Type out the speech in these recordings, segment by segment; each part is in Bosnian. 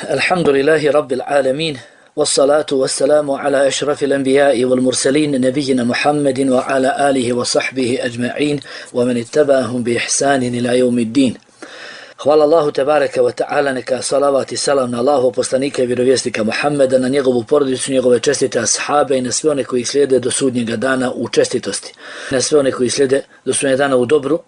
الحمد لله رب العالمين والصلاة والسلام على أشرف الأنبياء والمرسلين نبينا محمد وعلى آله وصحبه أجمعين ومن اتبعهم بإحسان إلى يوم الدين. Hvala Allahu tebareke ve ta'ala, neka salavat i salam na Allahu poslanika i vjerovjesnika Muhammeda, na njegovu porodicu, njegove čestite ashabe i na sve one koji slijede do sudnjega dana u čestitosti. Na sve one koji slijede do sudnjega dana u dobru.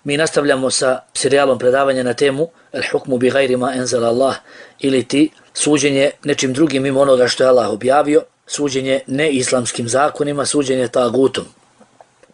Mi nastavljamo sa serijalom predavanja na temu Al-hukmu bi gajri ma enzala Allah, ili ti suđenje nečim drugim mimo onoga što je Allah objavio, suđenje neislamskim zakonima, suđenje tagutom.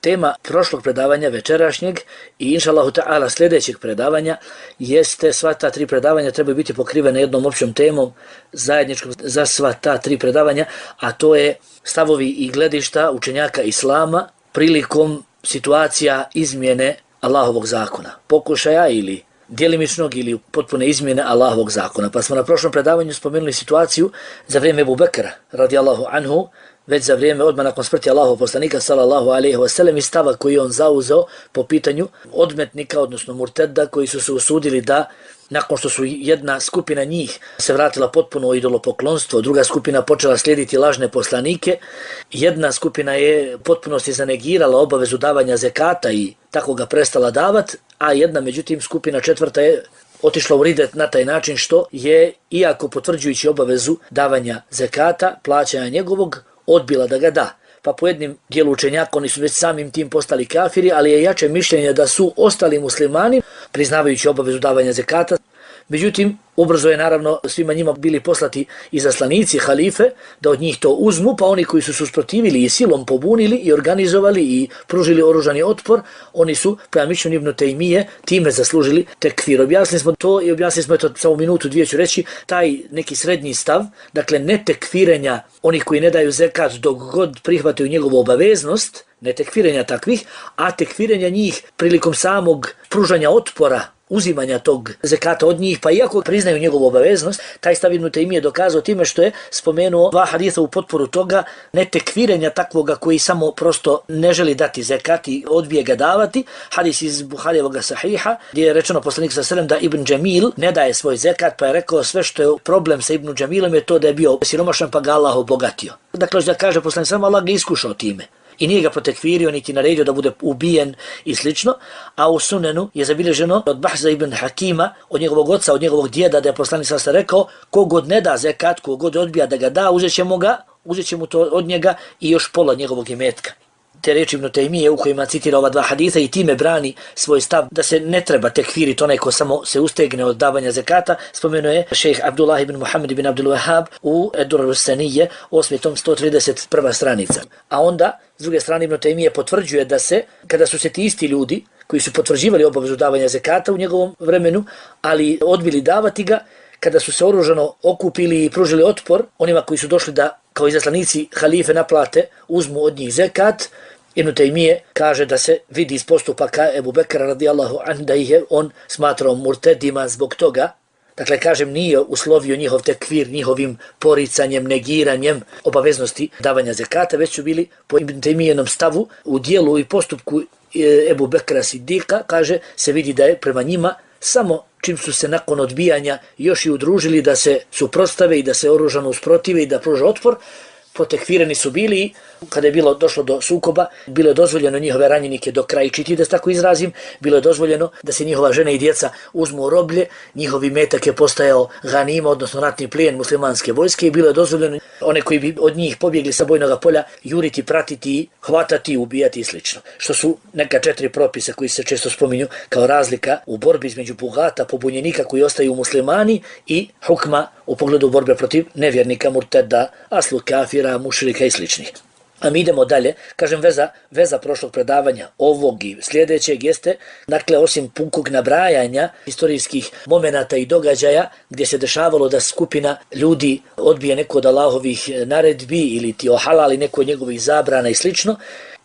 Tema prošlog predavanja večerašnjeg i inšallahu ta'ala sljedećeg predavanja jeste sva ta tri predavanja trebaju biti pokrivene jednom općom temom zajedničkom za sva ta tri predavanja, a to je stavovi i gledišta učenjaka Islama prilikom situacija izmjene Allahovog zakona, pokušaja ili djelimičnog ili potpune izmjene Allahovog zakona. Pa smo na prošlom predavanju spomenuli situaciju za vrijeme Ebu Bekra radijallahu anhu, već za vrijeme odmah nakon smrti Allahovog poslanika sallallahu alejhi ve sellem i stava koji on zauzeo po pitanju odmetnika, odnosno murteda, koji su se usudili da nakon što su jedna skupina njih se vratila potpuno u idolopoklonstvo, druga skupina počela slijediti lažne poslanike, jedna skupina je potpunosti zanegirala obavezu davanja zekata i tako ga prestala davat, a jedna međutim skupina četvrta je otišla u ridet na taj način što je, iako potvrđujući obavezu davanja zekata, plaćanja njegovog, odbila da ga da. Pa po jednim dijelu učenjaka oni su već samim tim postali kafiri, ali je jače mišljenje da su ostali muslimani priznavajući obavezu davanja zekata. Međutim, ubrzo je naravno svima njima bili poslati izaslanici, halife, da od njih to uzmu, pa oni koji su se usprotivili i silom pobunili i organizovali i pružili oružani otpor, oni su, prema mišljenju Ibn Taymije, time zaslužili tekfir. Objasnili smo to i objasnili smo to samo minutu, dvije ću reći, taj neki srednji stav, dakle ne tekfirenja onih koji ne daju zekat dok god prihvataju njegovu obaveznost, ne tekfirenja takvih, a tekfirenja njih prilikom samog pružanja otpora, uzimanja tog zekata od njih, pa iako priznaju njegovu obaveznost, taj stav Ibn Taymije dokazao time što je spomenuo dva hadisa u potporu toga, ne tekfirenja takvoga koji samo prosto ne želi dati zekat i odbije ga davati. Hadis iz Buharijevog sahiha, gdje je rečeno poslanik sallallahu alejhi ve sellem da Ibn Džamil ne daje svoj zekat, pa je rekao sve što je problem sa Ibn Džamilom je to da je bio siromašan pa ga Allah obogatio. Dakle, da kaže poslanik sallallahu alejhi ve sellem, Allah ga iskušao time i nije ga protekfirio niti naredio da bude ubijen i slično, a u sunenu je zabilježeno od Bahza ibn Hakima, od njegovog oca, od njegovog djeda, da je poslanik sallallahu alejhi ve sellem rekao, kogod ne da zekat, kogod odbija da ga da, uzet će mu to od njega i još pola njegovog imetka. Te riječi Ibn Taymije u kojima citira ova dva hadisa i time brani svoj stav da se ne treba tekfiriti onaj ko samo se ustegne od davanja zekata, spomenuo je šejh Abdullah ibn Muhammed ibn Abdul Wahhab u Ad-Durr as-Saniyye, 8. tom 131. stranica. A onda, s druge strane, Ibn Taymije potvrđuje da se, kada su se ti isti ljudi koji su potvrđivali obavezu davanja zekata u njegovom vremenu, ali odbili davati ga, kada su se oružano okupili i pružili otpor onima koji su došli da kao izaslanici halife naplate, uzmu od njih zekat, Ibn Taymije kaže da se vidi iz postupaka Ebu Bekra radijallahu anhu da ih je on smatrao murtedima zbog toga. Dakle, kažem, nije uslovio njihov tekfir njihovim poricanjem, negiranjem obaveznosti davanja zekata, već su bili po Ibn Taymijenom stavu u dijelu i postupku Ebu Bekra Siddiqa, kaže, se vidi da je prema njima samo čim su se nakon odbijanja još i udružili da se suprotstave i da se oružano usprotive i da pruže otpor, protekfirani su bili i kada je bilo došlo do sukoba, bilo je dozvoljeno njihove ranjenike do krajčiti, da se tako izrazim, bilo je dozvoljeno da se njihova žene i djeca uzmu u roblje, njihovi metak je postajao ganima, odnosno ratni plijen muslimanske vojske i bilo je dozvoljeno one koji bi od njih pobjegli sa bojnog polja juriti, pratiti, hvatati, ubijati i sl. Što su neka 4 propisa koji se često spominju kao razlika u borbi između bugata, pobunjenika koji ostaju muslimani i hukma u pogledu borbe protiv nevjernika, murteda, aslu kafira, mušrika i sličnih. A mi idemo dalje, kažem veza prošlog predavanja ovog i sljedećeg jeste, dakle, osim punkog nabrajanja historijskih momenata i događaja gdje se dešavalo da skupina ljudi odbije neko od Allahovih naredbi ili ti ohalali neko od njegovih zabrana i slično,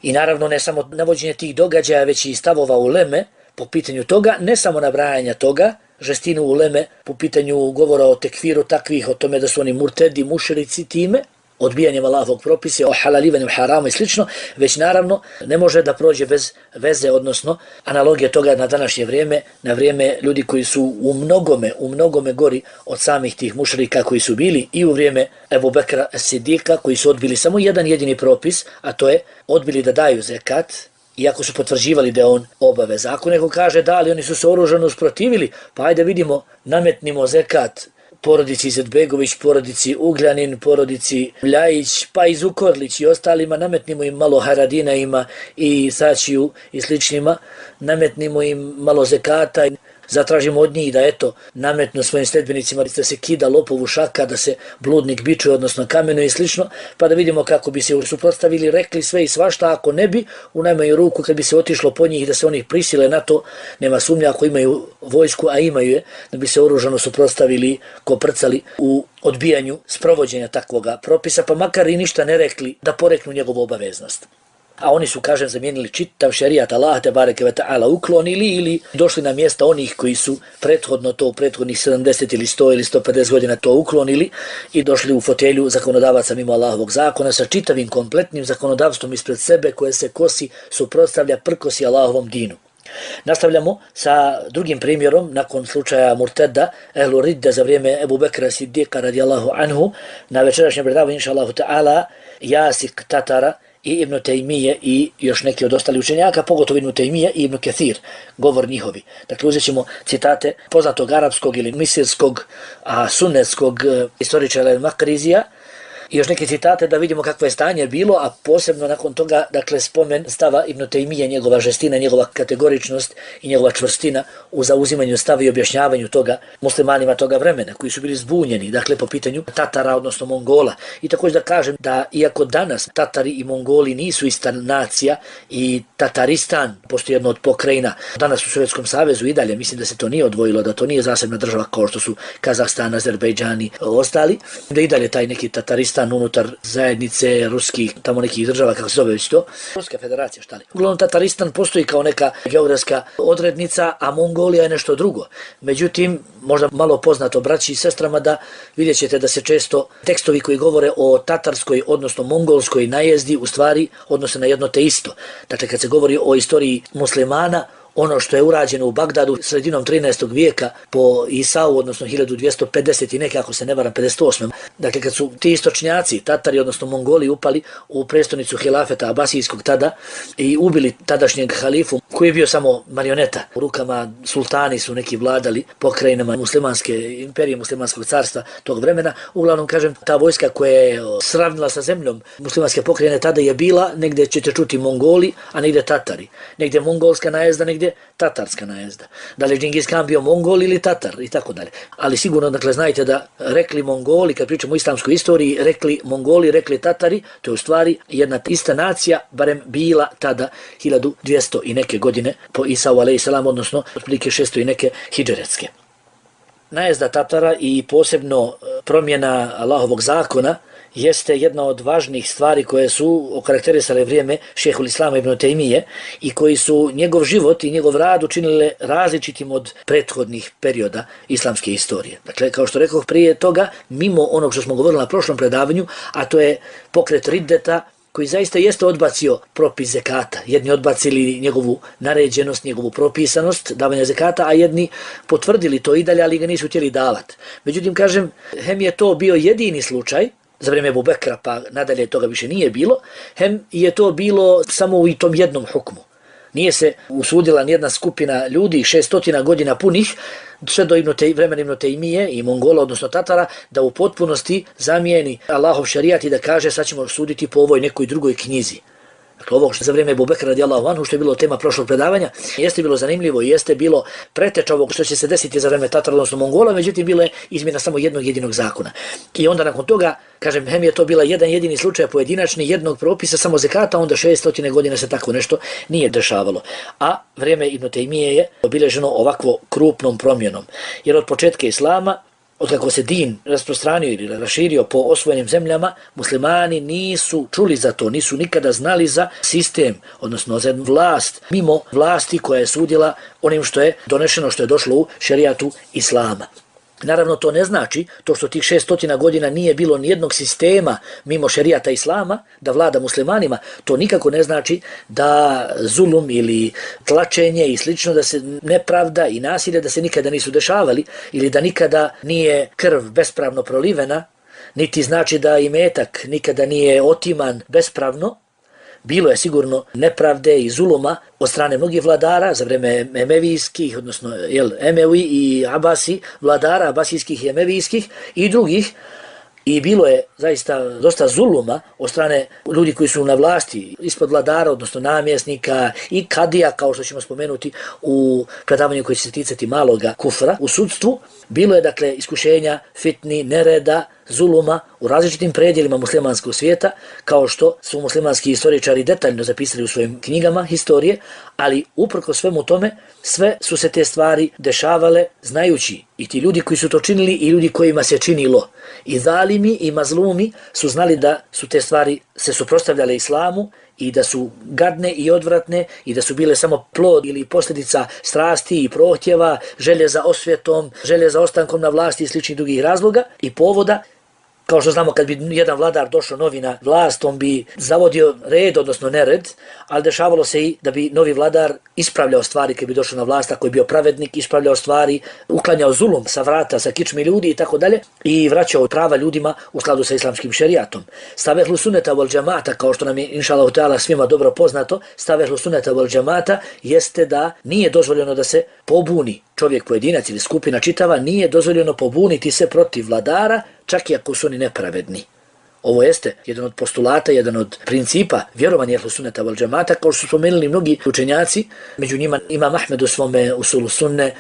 i naravno ne samo navođenje tih događaja, već i stavova uleme po pitanju toga, ne samo nabrajanja toga, žestinu uleme po pitanju govora o tekfiru takvih, o tome da su oni murtedi, mušrici time, odbijanjem Allahovog propisa, o halalivanju harama i slično, već naravno ne može da prođe bez veze, odnosno analogije toga na današnje vrijeme, na vrijeme ljudi koji su u mnogome gori od samih tih mušrika koji su bili i u vrijeme Ebu Bekra Sidika, koji su odbili samo jedan jedini propis, a to je odbili da daju zekat, iako su potvrđivali da je on obaveza. Ako neko kaže da, ali oni su se oružano usprotivili, pa ajde vidimo, nametnimo zekat porodici Izetbegović, porodici Ugljanin, porodici Ljajić, pa i Zukorlić i ostalima, nametnimo im malo Haradinajima i Sačiju i sličnima, nametnimo im malo zekata, zatražimo od njih da nametnu svojim sledbenicima da se kida lopovu šaka, da se bludnik bičuje, odnosno kamenuje i slično, pa da vidimo kako bi se suprotstavili, rekli sve i svašta, ako ne bi, u najmanju ruku kad bi se otišlo po njih da se oni prisile na to, nema sumnja ako imaju vojsku, a imaju je, da bi se oružano suprotstavili, koprcali u odbijanju sprovođenja takvoga propisa, pa makar i ništa ne rekli da poreknu njegovu obaveznost. A oni su, kažem, zamijenili čitav šerijat Allah te bareke ve ta'ala, uklonili ili došli na mjesta onih koji su prethodno to u prethodnih 70 ili 100 ili 150 godina to uklonili i došli u fotelju zakonodavaca mimo Allahovog zakona sa čitavim kompletnim zakonodavstvom ispred sebe koje se kosi, suprotstavlja, prkosi Allahovom dinu. Nastavljamo sa drugim primjerom nakon slučaja Murteda, ehlu ridde za vrijeme Ebu Bekra Siddiqa radijallahu anhu. Na večerašnjem predavanju, inša Allahu ta'ala, Jasik Tatara i Ibn Tejmije i još neki od ostalih učenjaka, pogotovo Ibn Tejmije i Ibn Kathir, govor njihovi. Dakle, uzet ćemo citate poznatog arapskog ili misirskog, sunnetskog istoričara Al-Makrizija i još neke citate da vidimo kakvo je stanje bilo, a posebno nakon toga, dakle, spomen stava Ibn Tejmije, njegova žestina, njegova kategoričnost i njegova čvrstina u zauzimanju stava i objašnjavanju toga muslimanima toga vremena, koji su bili zbunjeni, dakle, po pitanju Tatara, odnosno Mongola. I također da kažem da, iako danas Tatari i Mongoli nisu ista nacija i Tataristan, postoji jedno od pokrajina, danas u Sovjetskom savezu i dalje, mislim da se to nije odvojilo, da to nije zasebna država kao što su Kazahstan, Azerbejdžan i ostali, da i dalje taj neki Tataristan unutar zajednice ruskih, tamo nekih država, kako se zove već to, Ruska federacija, šta li. Uglavnom, Tataristan postoji kao neka geografska odrednica, a Mongolija je nešto drugo. Međutim, možda malo poznato braći i sestrama da vidjet ćete da se često tekstovi koji govore o tatarskoj, odnosno mongolskoj najezdi, u stvari odnose na jedno te isto. Dakle, kad se govori o istoriji muslimana, ono što je urađeno u Bagdadu sredinom 13. vijeka po Isau, odnosno 1250 i neke, ako se ne varam, 58. Dakle, kad su ti istočnjaci, Tatari, odnosno Mongoli, upali u prestonicu hilafeta Abasijskog tada i ubili tadašnjeg halifu, koji je bio samo marioneta. U rukama sultani su neki vladali pokrajinama muslimanske imperije, muslimanskog carstva tog vremena. Uglavnom, kažem, ta vojska koja je sravnila sa zemljom muslimanske pokrajine tada je bila, negdje ćete čuti Mongoli, a negdje Tatari. Negdje mongolska najezda, negdje tatarska najezda. Da li je Džingis Khan bio Mongol ili Tatar i tako dalje. Ali sigurno, dakle, znajte da rekli Mongoli, kad pričamo o islamskoj istoriji, rekli Mongoli, rekli Tatari, to je u stvari jedna ista nacija, barem bila tada 1200 i neke godine po Isau a.s., odnosno otprilike 600 i neke hidžretske. Najezda Tatara i posebno promjena Allahovog zakona jeste jedna od važnih stvari koje su okarakterisale vrijeme šejhul Islama ibn Tejmije i koji su njegov život i njegov rad učinile različitim od prethodnih perioda islamske istorije. Dakle, kao što rekoh prije toga, mimo onog što smo govorili na prošlom predavanju, a to je pokret riddeta, koji zaista jeste odbacio propis zekata. Jedni odbacili njegovu naređenost, njegovu propisanost davanja zekata, a jedni potvrdili to i dalje, ali ga nisu htjeli davati. Međutim, kažem, hem je to bio jedini slučaj za vrijeme Ebu Bekra, pa nadalje toga više nije bilo, hem je to bilo samo u tom jednom hukmu. Nije se usudila nijedna skupina ljudi 600 godina punih, sve do vremena Ibn Tejmije i Mongola, odnosno Tatara, da u potpunosti zamijeni Allahov šarijat i da kaže sad ćemo suditi po ovoj nekoj drugoj knjizi. Dakle, ovo što za vrijeme Ebu Bekra radijallahu anhu, što je bilo tema prošlog predavanja, jeste bilo zanimljivo i jeste bilo preteča ovog što će se desiti za vrijeme Tatara, odnosno Mongola, međutim bilo je izmjena samo jednog jedinog zakona. I onda nakon toga, kažem, hem je to bila jedan jedini slučaj pojedinačni jednog propisa, samo zekata, onda 600 godina se tako nešto nije dešavalo. A vrijeme Ibn Tejmije je obilježeno ovakvo krupnom promjenom. Jer od početka islama, otkako se din rasprostranio ili raširio po osvojenim zemljama, muslimani nisu čuli za to, nisu nikada znali za sistem, odnosno za vlast, mimo vlasti koja je sudila onim što je donešeno, što je došlo u šerijatu islama. Naravno, to ne znači, to što tih 600 godina nije bilo nijednog sistema mimo šerijata islama, da vlada muslimanima, to nikako ne znači da zulum ili tlačenje i slično, da se nepravda i nasilje da se nikada nisu dešavali ili da nikada nije krv bespravno prolivena, niti znači da imetak nikada nije otiman bespravno. Bilo je sigurno nepravde i zuluma od strane mnogih vladara za vreme emevijskih, odnosno Emevi i Abasi, vladara abasijskih i emevijskih i drugih. I bilo je zaista dosta zuluma od strane ljudi koji su na vlasti ispod vladara, odnosno namjesnika i kadija, kao što ćemo spomenuti u predavanju koji će se ticati maloga kufra u sudstvu. Bilo je dakle iskušenja, fitni, nereda, zuluma u različitim predjelima muslimanskog svijeta, kao što su muslimanski historičari detaljno zapisali u svojim knjigama historije, ali uprkos svemu tome, sve su se te stvari dešavale znajući i ti ljudi koji su to činili i ljudi kojima se činilo. I zalimi i mazlumi su znali da su te stvari se suprotstavljale islamu i da su gadne i odvratne i da su bile samo plod ili posljedica strasti i prohtjeva, želje za osvjetom, želje za ostankom na vlasti i sličnih drugih razloga i povoda. Kao što znamo, kad bi jedan vladar došao novi na vlast, on bi zavodio red, odnosno nered, ali dešavalo se i da bi novi vladar ispravljao stvari kad bi došao na vlast, ako je bio pravednik, ispravljao stvari, uklanjao zulum sa vrata, sa kičmi ljudi i tako dalje i vraćao prava ljudima u skladu sa islamskim šerijatom. Stav ehlu sunneta wal džemata, kao što nam je inšallahu ta'ala svima dobro poznato, stav ehlu sunneta wal džemata jeste da nije dozvoljeno da se pobuni čovjek, pojedinac ili skupina čitava, nije dozvoljeno pobuniti se protiv vladara, čak i ako su oni nepravedni. Ovo jeste jedan od postulata, jedan od principa vjerovanja ehlu sunneta wal džemata, kao što su spomenuli mnogi učenjaci, među njima Imam Ahmed u svome usulu sunne,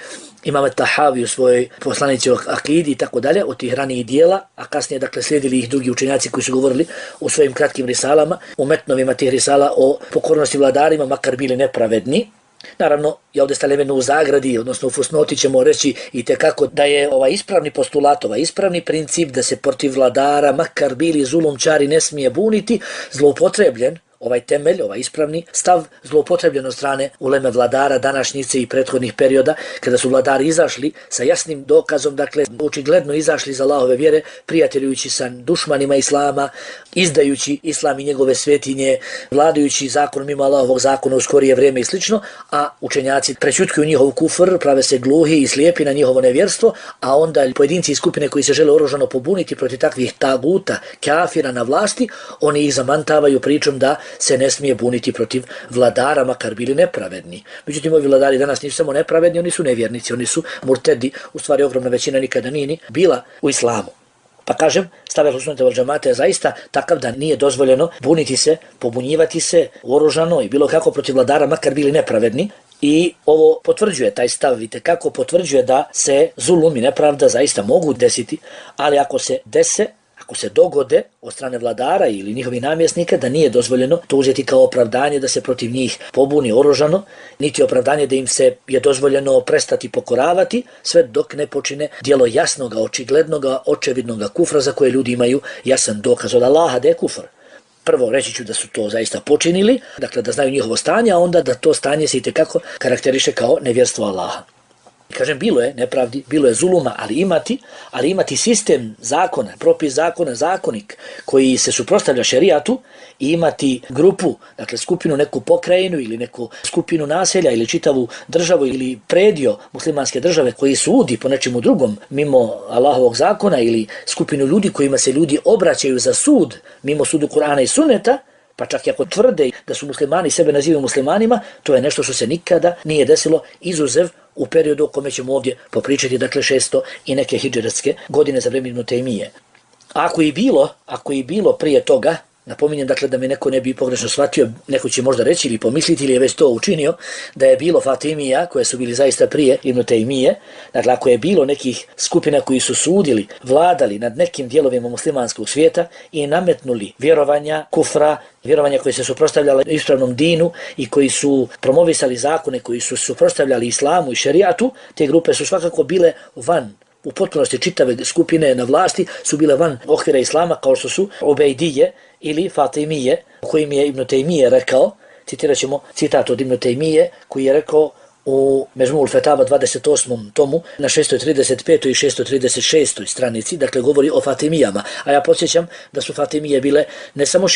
Imam Tahavi u svojoj poslanici o akidi i tako dalje, od tih ranijih dijela, a kasnije dakle slijedili ih drugi učenjaci koji su govorili u svojim kratkim risalama, u metnovima tih risala o pokornosti vladarima, makar bili nepravedni. Naravno, ja ovdje stavljam u zagradi, odnosno u fusnoti ćemo reći i tekako da je ovaj ispravni postulat, ovaj ispravni princip da se protiv vladara, makar bili zulumčari, ne smije buniti, zloupotrebljen, ovaj temelj, ovaj ispravni stav zloupotrebljen od strane uleme vladara današnjice i prethodnih perioda, kada su vladari izašli sa jasnim dokazom, dakle očigledno izašli iz Allahove vjere, prijateljujući sa dušmanima islama, izdajući islam i njegove svetinje, vladajući zakonom mimo Allahovog zakona u skorije vrijeme i slično, a učenjaci prećutkuju njihov kufr, prave se gluhi i slijepi na njihovo nevjerstvo, a onda pojedinci i skupine koji se žele oružano pobuniti protiv takvih taguta, kafira na vlasti, oni ih zamantavaju pričom da se ne smije buniti protiv vladara, makar bili nepravedni. Međutim, ovi vladari danas nisu samo nepravedni, oni su nevjernici, oni su murtedi, u stvari ogromna većina nikada nije ni bila u islamu. Pa kažem, stav ehlu sunneta wal džemata je zaista takav da nije dozvoljeno buniti se, pobunjivati se oružano i bilo kako protiv vladara, makar bili nepravedni. I ovo potvrđuje taj stav, vidite kako potvrđuje da se zulum i nepravda zaista mogu desiti, ali ako se dese, ako se dogode od strane vladara ili njihovih namjesnika, da nije dozvoljeno to uzeti kao opravdanje da se protiv njih pobuni oružano, niti opravdanje da im se je dozvoljeno prestati pokoravati, sve dok ne počine djelo jasnoga, očiglednoga, očevidnoga kufra za koje ljudi imaju jasan dokaz od Allaha da je kufr. Prvo reći ću da su to zaista počinili, dakle da znaju njihovo stanje, a onda da to stanje se itekako karakteriše kao nevjerstvo Allaha. Kažem, bilo je nepravdi, bilo je zuluma, ali imati sistem zakona, propis zakona, zakonik koji se suprotstavlja šerijatu i imati grupu, dakle skupinu, neku pokrajinu ili neku skupinu naselja ili čitavu državu ili predio muslimanske države koji sudi po nečemu drugom mimo Allahovog zakona ili skupinu ljudi kojima se ljudi obraćaju za sud mimo sudu Kur'ana i Sunneta, pa čak i ako tvrde da su muslimani sebe nazivaju muslimanima, to je nešto što se nikada nije desilo izuzev u periodu o kome ćemo ovdje popričati, dakle 600 i neke hidžretske godine za vrijeme Ibn Taymije. Ako je bilo prije toga, napominjem dakle da me neko ne bi pogrešno shvatio, neko će možda reći ili pomisliti ili je već to učinio, da je bilo Fatimija koje su bili zaista prije Ibn Taymije, dakle ako je bilo nekih skupina koji su sudili, vladali nad nekim dijelovima muslimanskog svijeta i nametnuli vjerovanja, kufra, vjerovanja koje se suprotstavljala ispravnom dinu i koji su promovisali zakone koji su suprotstavljali islamu i šerijatu, te grupe su svakako bile van, u potpunosti čitave skupine na vlasti su bile van okvira islama, kao što su Ubejdije ili Fatimije, kojim je Ibn Taymije rekao, citirat ćemo citat od Ibn Taymije, koji je rekao: u Mežmul Fetava 28. tomu na 635. i 636. stranici, dakle govori o Fatimijama, a ja podsjećam da su Fatimije bile ne samo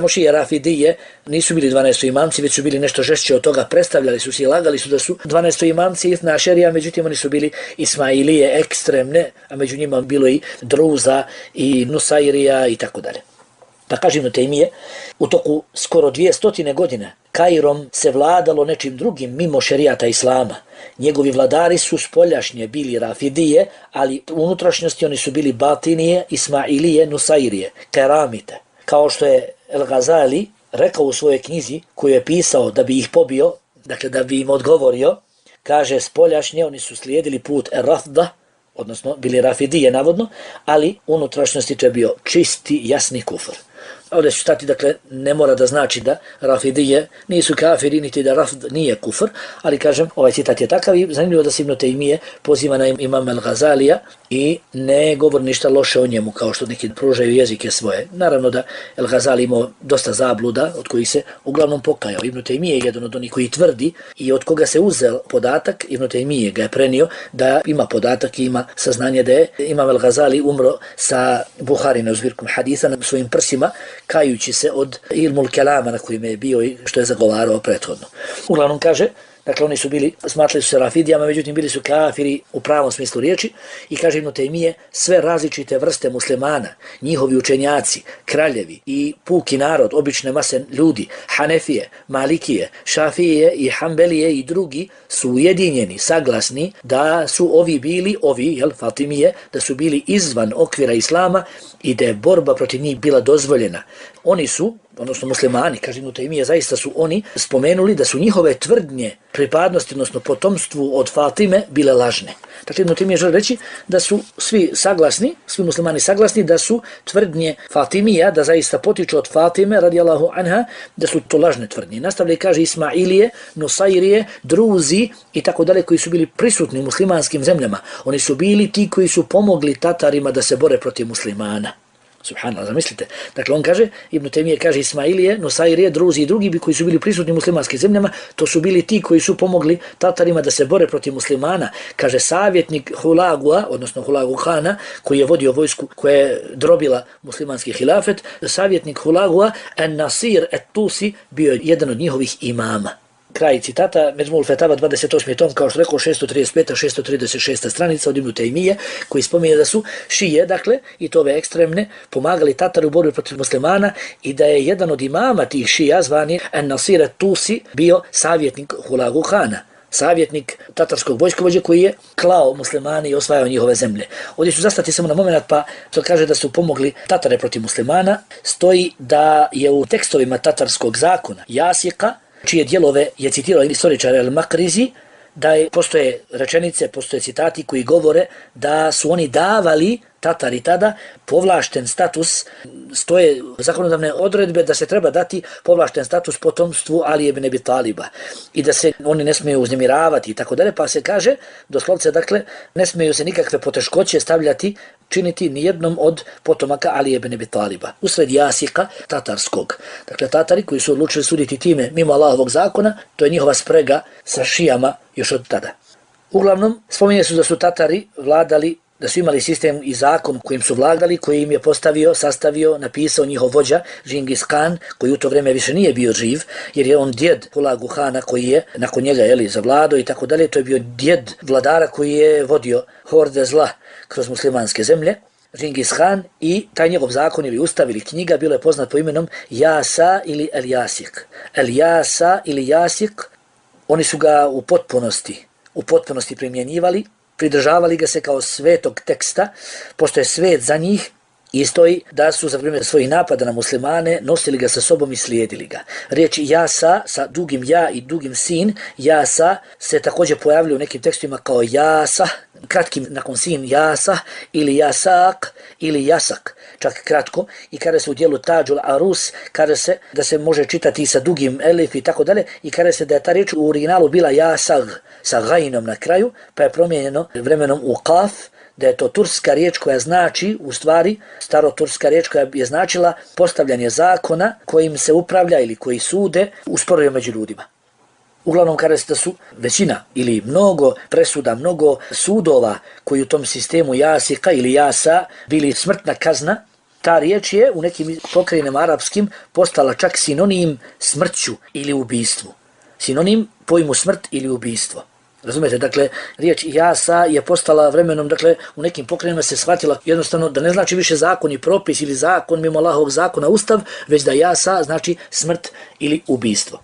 šije Rafidije, nisu bili 12. imamci, već su bili nešto žešće od toga, predstavljali su se i lagali su da su 12. imamci Ithna Ašerija, međutim oni su bili Ismailije ekstremne, a među njima bilo i Druza i Nusairija i tako dalje. Pa kaže Ibn Tejmije, u toku skoro 200 godina Kairom se vladalo nečim drugim mimo šerijata Islama. Njegovi vladari su spoljašnje bili Rafidije, ali u unutrašnjosti oni su bili Batinije, Ismailije, Nusairije, Keramite. Kao što je El Ghazali rekao u svojoj knjizi koju je pisao da bi ih pobio, dakle da bi im odgovorio, kaže spoljašnje oni su slijedili put Rafda, odnosno bili Rafidije navodno, ali u unutrašnjosti to je bio čisti, jasni kufr. Ovdje ću stati, dakle, ne mora da znači da Rafidije nisu kafiri, niti da Rafd nije kufr, ali kažem, ovaj citat je takav i zanimljivo da se Ibn Tejmije poziva na imam El Ghazalija i ne govori ništa loše o njemu, kao što neki pružaju jezike svoje. Naravno da El Ghazali imao dosta zabluda, od kojih se uglavnom pokajao. Ibn Tejmije je jedan od onih koji tvrdi i od koga se uzel podatak, Ibn Tejmije ga je prenio da ima podatak i ima saznanje da je imam El Ghazali umro sa Buharinom zbirkom hadisa na svojim prsima, kajući se od ilmul kelama na kojim je bio i što je zagovarao prethodno. Uglavnom kaže, dakle oni su bili, smatrali su se Rafidijama, međutim bili su kafiri u pravom smislu riječi i kaže Ibn Tejmije, sve različite vrste muslimana, njihovi učenjaci, kraljevi i puki narod, obične mase ljudi, Hanefije, Malikije, Šafije i Hanbelije i drugi su ujedinjeni, saglasni da su ovi, Fatimije, da su bili izvan okvira Islama i da je borba protiv njih bila dozvoljena. Oni su, odnosno muslimani, kaže Ibn Tejmije, zaista su oni spomenuli da su njihove tvrdnje pripadnosti, odnosno potomstvu od Fatime, bile lažne. Dakle, Ibn Tejmije želi reći da su svi muslimani saglasni da su tvrdnje Fatimija, da zaista potiču od Fatime, radijallahu anha, da su to lažne tvrdnje. Nastavlja i kaže Ismailije, Nusairije, Druzi i tako dalje, koji su bili prisutni u muslimanskim zemljama. Oni su bili ti koji su pomogli Tatarima da se bore protiv muslimana. Subhanallah, zamislite. Dakle, on kaže, Ibn Tejmije kaže Ismailije, Nusairije, Druzi i drugi koji su bili prisutni u muslimanskim zemljama, to su bili ti koji su pomogli Tatarima da se bore protiv muslimana. Kaže savjetnik Hulagua, odnosno Hulagu Hana, koji je vodio vojsku koja je drobila muslimanski hilafet, savjetnik Hulagua, An-Nasir et-Tusi, bio je jedan od njihovih imama. Kraj citata, Međmul Fetava 28. tom, kao što rekao, 635. 636. stranica od Ibn Tejmije, koji spominje da su šije, dakle, i to ove ekstremne, pomagali Tatari u borbi protiv muslimana i da je jedan od imama tih šija, zvani An-Nasir et-Tusi, bio savjetnik Hulagu Hana, savjetnik tatarskog vojskovođe koji je klao muslimani i osvajao njihove zemlje. Ovdje ću zastati samo na moment, pa to kaže da su pomogli Tatare protiv muslimana. Stoji da je u tekstovima tatarskog zakona Jasika, čije dijelove je citirao istoričar El-Makrizi, da postoje rečenice, postoje citati koji govore da su oni davali Tatari tada povlašten status, stoje zakonodavne odredbe da se treba dati povlašten status potomstvu Ali ibn Abi Taliba i da se oni ne smiju uznemiravati i tako dalje, pa se kaže, doslovce, dakle, ne smiju se nikakve poteškoće činiti nijednom od potomaka Ali ibn Abi Taliba. Usred Jasika tatarskog. Dakle, Tatari koji su odlučili suditi time mimo Allahovog zakona, to je njihova sprega sa šijama još od tada. Uglavnom, spominje su da su Tatari vladali, da su imali sistem i zakon kojim su vladali, koji im je sastavio, napisao njihov vođa Džingis Khan, koji u to vrijeme više nije bio živ, jer je on djed Hulagu Hana koji je nakon njega zavladao i tako dalje. To je bio djed vladara koji je vodio horde zla kroz muslimanske zemlje, Džingis Khan, i taj njegov zakon ili ustav ili knjiga bilo je poznat po imenom Jasa ili El-Jasik. El-Jasa ili Jasik, oni su ga u potpunosti primjenjivali, pridržavali ga se kao svetog teksta, pošto je svet za njih, i stoji da su za vrijeme svojih napada na muslimane nosili ga sa sobom i slijedili ga. Riječ Jasa sa dugim ja i dugim sin, Jasa, se također pojavljaju u nekim tekstima kao Jasa, kratkim nakon sin Jasa, ili Jasak, ili Jasak, čak kratko, i kada se u dijelu Tađul Arus, kada se da se može čitati sa dugim elif i tako dalje, i kada se da je ta riječ u originalu bila Jasag, sa gajnom na kraju, pa je promijenjeno vremenom u Kaf, da je to turska riječ koja znači, u stvari, staroturska riječ koja je značila postavljanje zakona kojim se upravlja ili koji sude u sporovima među ljudima. Uglavnom kaže se da su većina ili mnogo presuda, mnogo sudova koji u tom sistemu jasika ili jasa bili smrtna kazna. Ta riječ je u nekim pokrajinama arapskim postala čak sinonim smrću ili ubistvu. Sinonim pojmu smrt ili ubistvo. Razumijete, dakle, riječ jasa je postala vremenom, dakle, u nekim pokrajinama se shvatila jednostavno da ne znači više zakon i propis ili zakon mimo Allahovog zakona, ustav, već da jasa znači smrt ili ubistvo.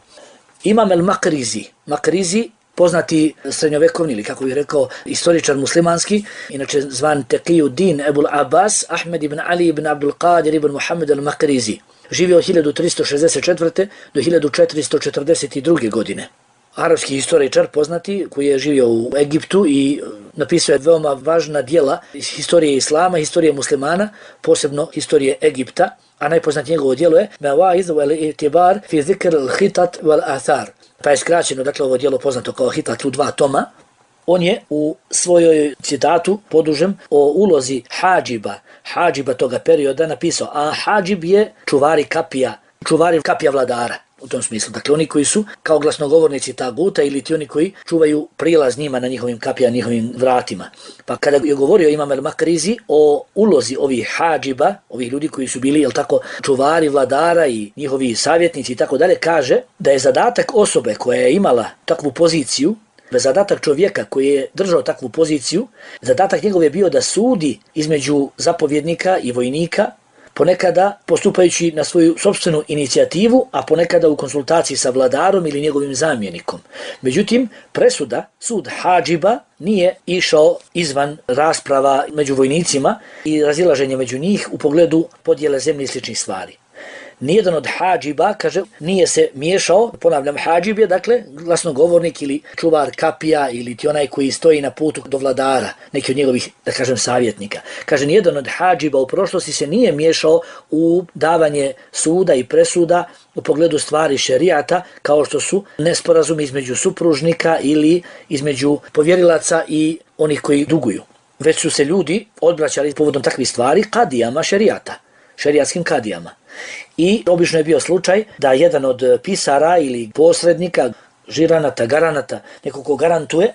Imam el-Makrizi, poznati srednjovekovni ili kako bih rekao istoričar muslimanski, inače zvan Taqiyuddin Ebul Abbas, Ahmed ibn Ali ibn Abdul Qadir ibn Muhammed el-Makrizi. Živio od 1364. do 1442. godine. Arapski historičar poznati koji je živio u Egiptu i napisao je veoma važna djela iz historije islama, historije muslimana, posebno historije Egipta, a najpoznatije njegovo djelo je Mawaiz wal I'tibar fi zikr al-khitat wal athar. Pa je skraćeno, dakle, ovo djelo poznato kao Hitat u 2 toma. On je u svojoj citatu podužem o ulozi hadžiba toga perioda napisao, a hadžib je čuvari kapija vladara. U tom smislu, dakle, oni koji su kao glasnogovornici taguta ili ti oni koji čuvaju prilaz njima na njihovim kapijama, njihovim vratima. Pa kada je govorio Imam el-Makrizi o ulozi ovih hadžiba, ovih ljudi koji su bili, čuvari vladara i njihovi savjetnici i tako dalje, kaže da je zadatak osobe koja je imala takvu poziciju, zadatak čovjeka koji je držao takvu poziciju, zadatak njegov je bio da sudi između zapovjednika i vojnika, ponekada postupajući na svoju sopstvenu inicijativu, a ponekada u konsultaciji sa vladarom ili njegovim zamjenikom. Međutim, presuda, sud hadžiba, nije išao izvan rasprava među vojnicima i razilaženja među njih u pogledu podjele zemlje i sličnih stvari. Nijedan od hadžiba, kaže, nije se miješao, ponavljam, hadžib je, dakle, glasnogovornik ili čuvar kapija ili ti onaj koji stoji na putu do vladara, neki od njegovih, da kažem, savjetnika. Kaže, nijedan od hadžiba u prošlosti se nije miješao u davanje suda i presuda u pogledu stvari šerijata, kao što su nesporazumi između supružnika ili između povjerilaca i onih koji duguju. Već su se ljudi odbraćali povodom takvih stvari kadijama šerijata, šerijatskim kadijama. I obično je bio slučaj da jedan od pisara ili posrednika, žiranata, garanata, neko ko garantuje,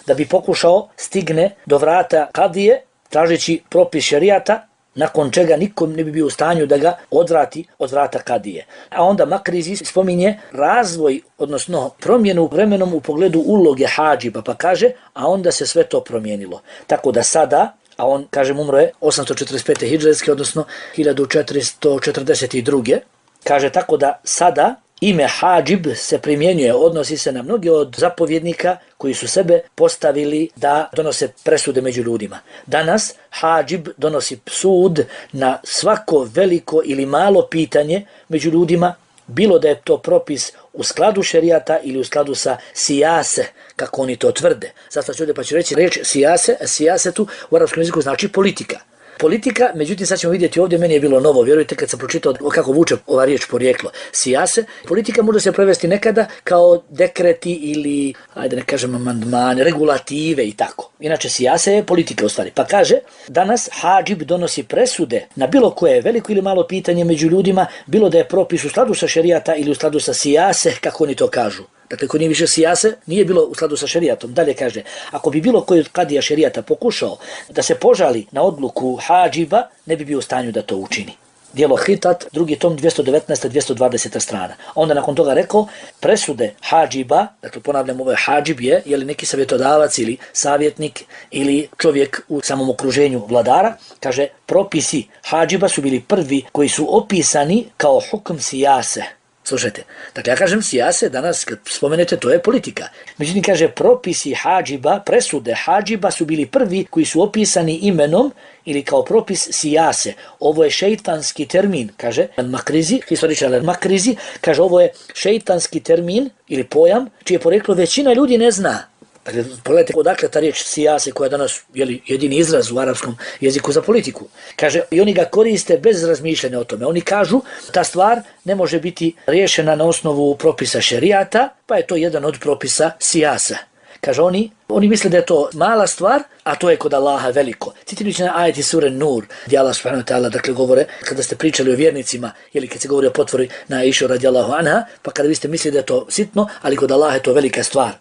da bi pokušao stigne do vrata kadije, tražeći propis šerijata, nakon čega nikom ne bi bio u stanju da ga odvrati od vrata kadije. A onda Makrizi spominje razvoj, odnosno promjenu vremenom u pogledu uloge hadžiba, pa kaže, a onda se sve to promijenilo. Tako da sada, a on, kažem, umro je 845. hidžretske, odnosno 1442. Kaže, tako da sada ime hadžib se primjenjuje, odnosi se na mnoge od zapovjednika koji su sebe postavili da donose presude među ljudima. Danas hadžib donosi sud na svako veliko ili malo pitanje među ljudima, bilo da je to propis u skladu šerijata ili u skladu sa sijase, kako oni to tvrde. Zato ću ovdje pa ću reći reč sijase, a sijasetu u arapskom jeziku znači politika. Politika, međutim sad ćemo vidjeti ovdje, meni je bilo novo, vjerujte kad sam pročitao kako vuče ova riječ porijeklo. Sijase, politika može se prevesti nekada kao dekreti ili, ajde ne kažem amandmane, regulative i tako. Inače sijase je politika u stvari. Pa kaže, danas hadžib donosi presude na bilo koje veliko ili malo pitanje među ljudima, bilo da je propis u skladu sa šerijata ili u skladu sa sijase, kako oni to kažu. Dakle, ko nije više sijase, nije bilo u skladu sa šerijatom. Dalje kaže, ako bi bilo koji od kadija šerijata pokušao da se požali na odluku hadžiba, ne bi bio u stanju da to učini. Djelo Hitat, 2. tom, 219-220 strana. Onda nakon toga rekao, presude hadžiba, dakle ponavljam, ovo je hadžib je li neki savjetodavac ili savjetnik ili čovjek u samom okruženju vladara, kaže, propisi hadžiba su bili prvi koji su opisani kao hukm sijase. Slušajte, dakle ja kažem sijase, danas kad spomenete to je politika. Međutim kaže propisi hadžiba, presude hadžiba su bili prvi koji su opisani imenom ili kao propis sijase. Ovo je šeitanski termin, kaže Makrizi, historičar Makrizi, kaže ovo je šeitanski termin ili pojam čije poreklo većina ljudi ne zna. Dakle, pogledajte odakle ta riječ sijase koja je danas jedini izraz u arapskom jeziku za politiku. Kaže, i oni ga koriste bez razmišljanja o tome. Oni kažu, ta stvar ne može biti riješena na osnovu propisa šerijata, pa je to jedan od propisa sijasa. Kaže oni misle da je to mala stvar, a to je kod Allaha veliko. Citirajući na ajeti sure Nur, gdje Allah subhanahu wa ta'ala dakle govore, kada ste pričali o vjernicima, ili kad se govori o potvori na Aishu radijallahu anha, pa kada vi ste mislili da je to sitno, ali kod Allaha je to velika stvar.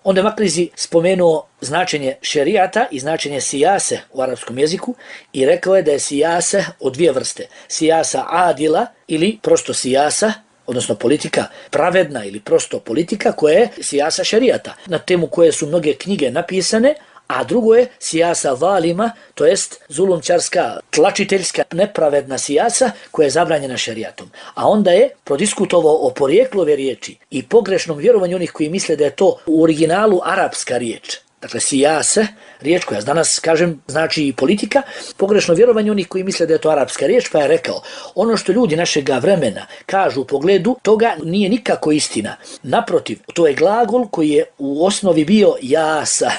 Onda je Makrizi spomenuo značenje šerijata i značenje sijase u arapskom jeziku i rekao je da je sijase od dvije vrste. Sijasa adila ili prosto sijasa, odnosno politika pravedna ili prosto politika koja je sijasa šerijata, na temu koje su mnoge knjige napisane, a drugo je sijasa valima, to jest zulumčarska, tlačiteljska, nepravedna sijasa koja je zabranjena šerijatom. A onda je prodiskutovao o porijeklu ove riječi i pogrešnom vjerovanju onih koji misle da je to u originalu arapska riječ. Dakle, sijase, riječ koja danas, kažem, znači i politika, pogrešno vjerovanje onih koji misle da je to arapska riječ, pa je rekao, ono što ljudi našega vremena kažu u pogledu, toga nije nikako istina. Naprotiv, to je glagol koji je u osnovi bio jasa.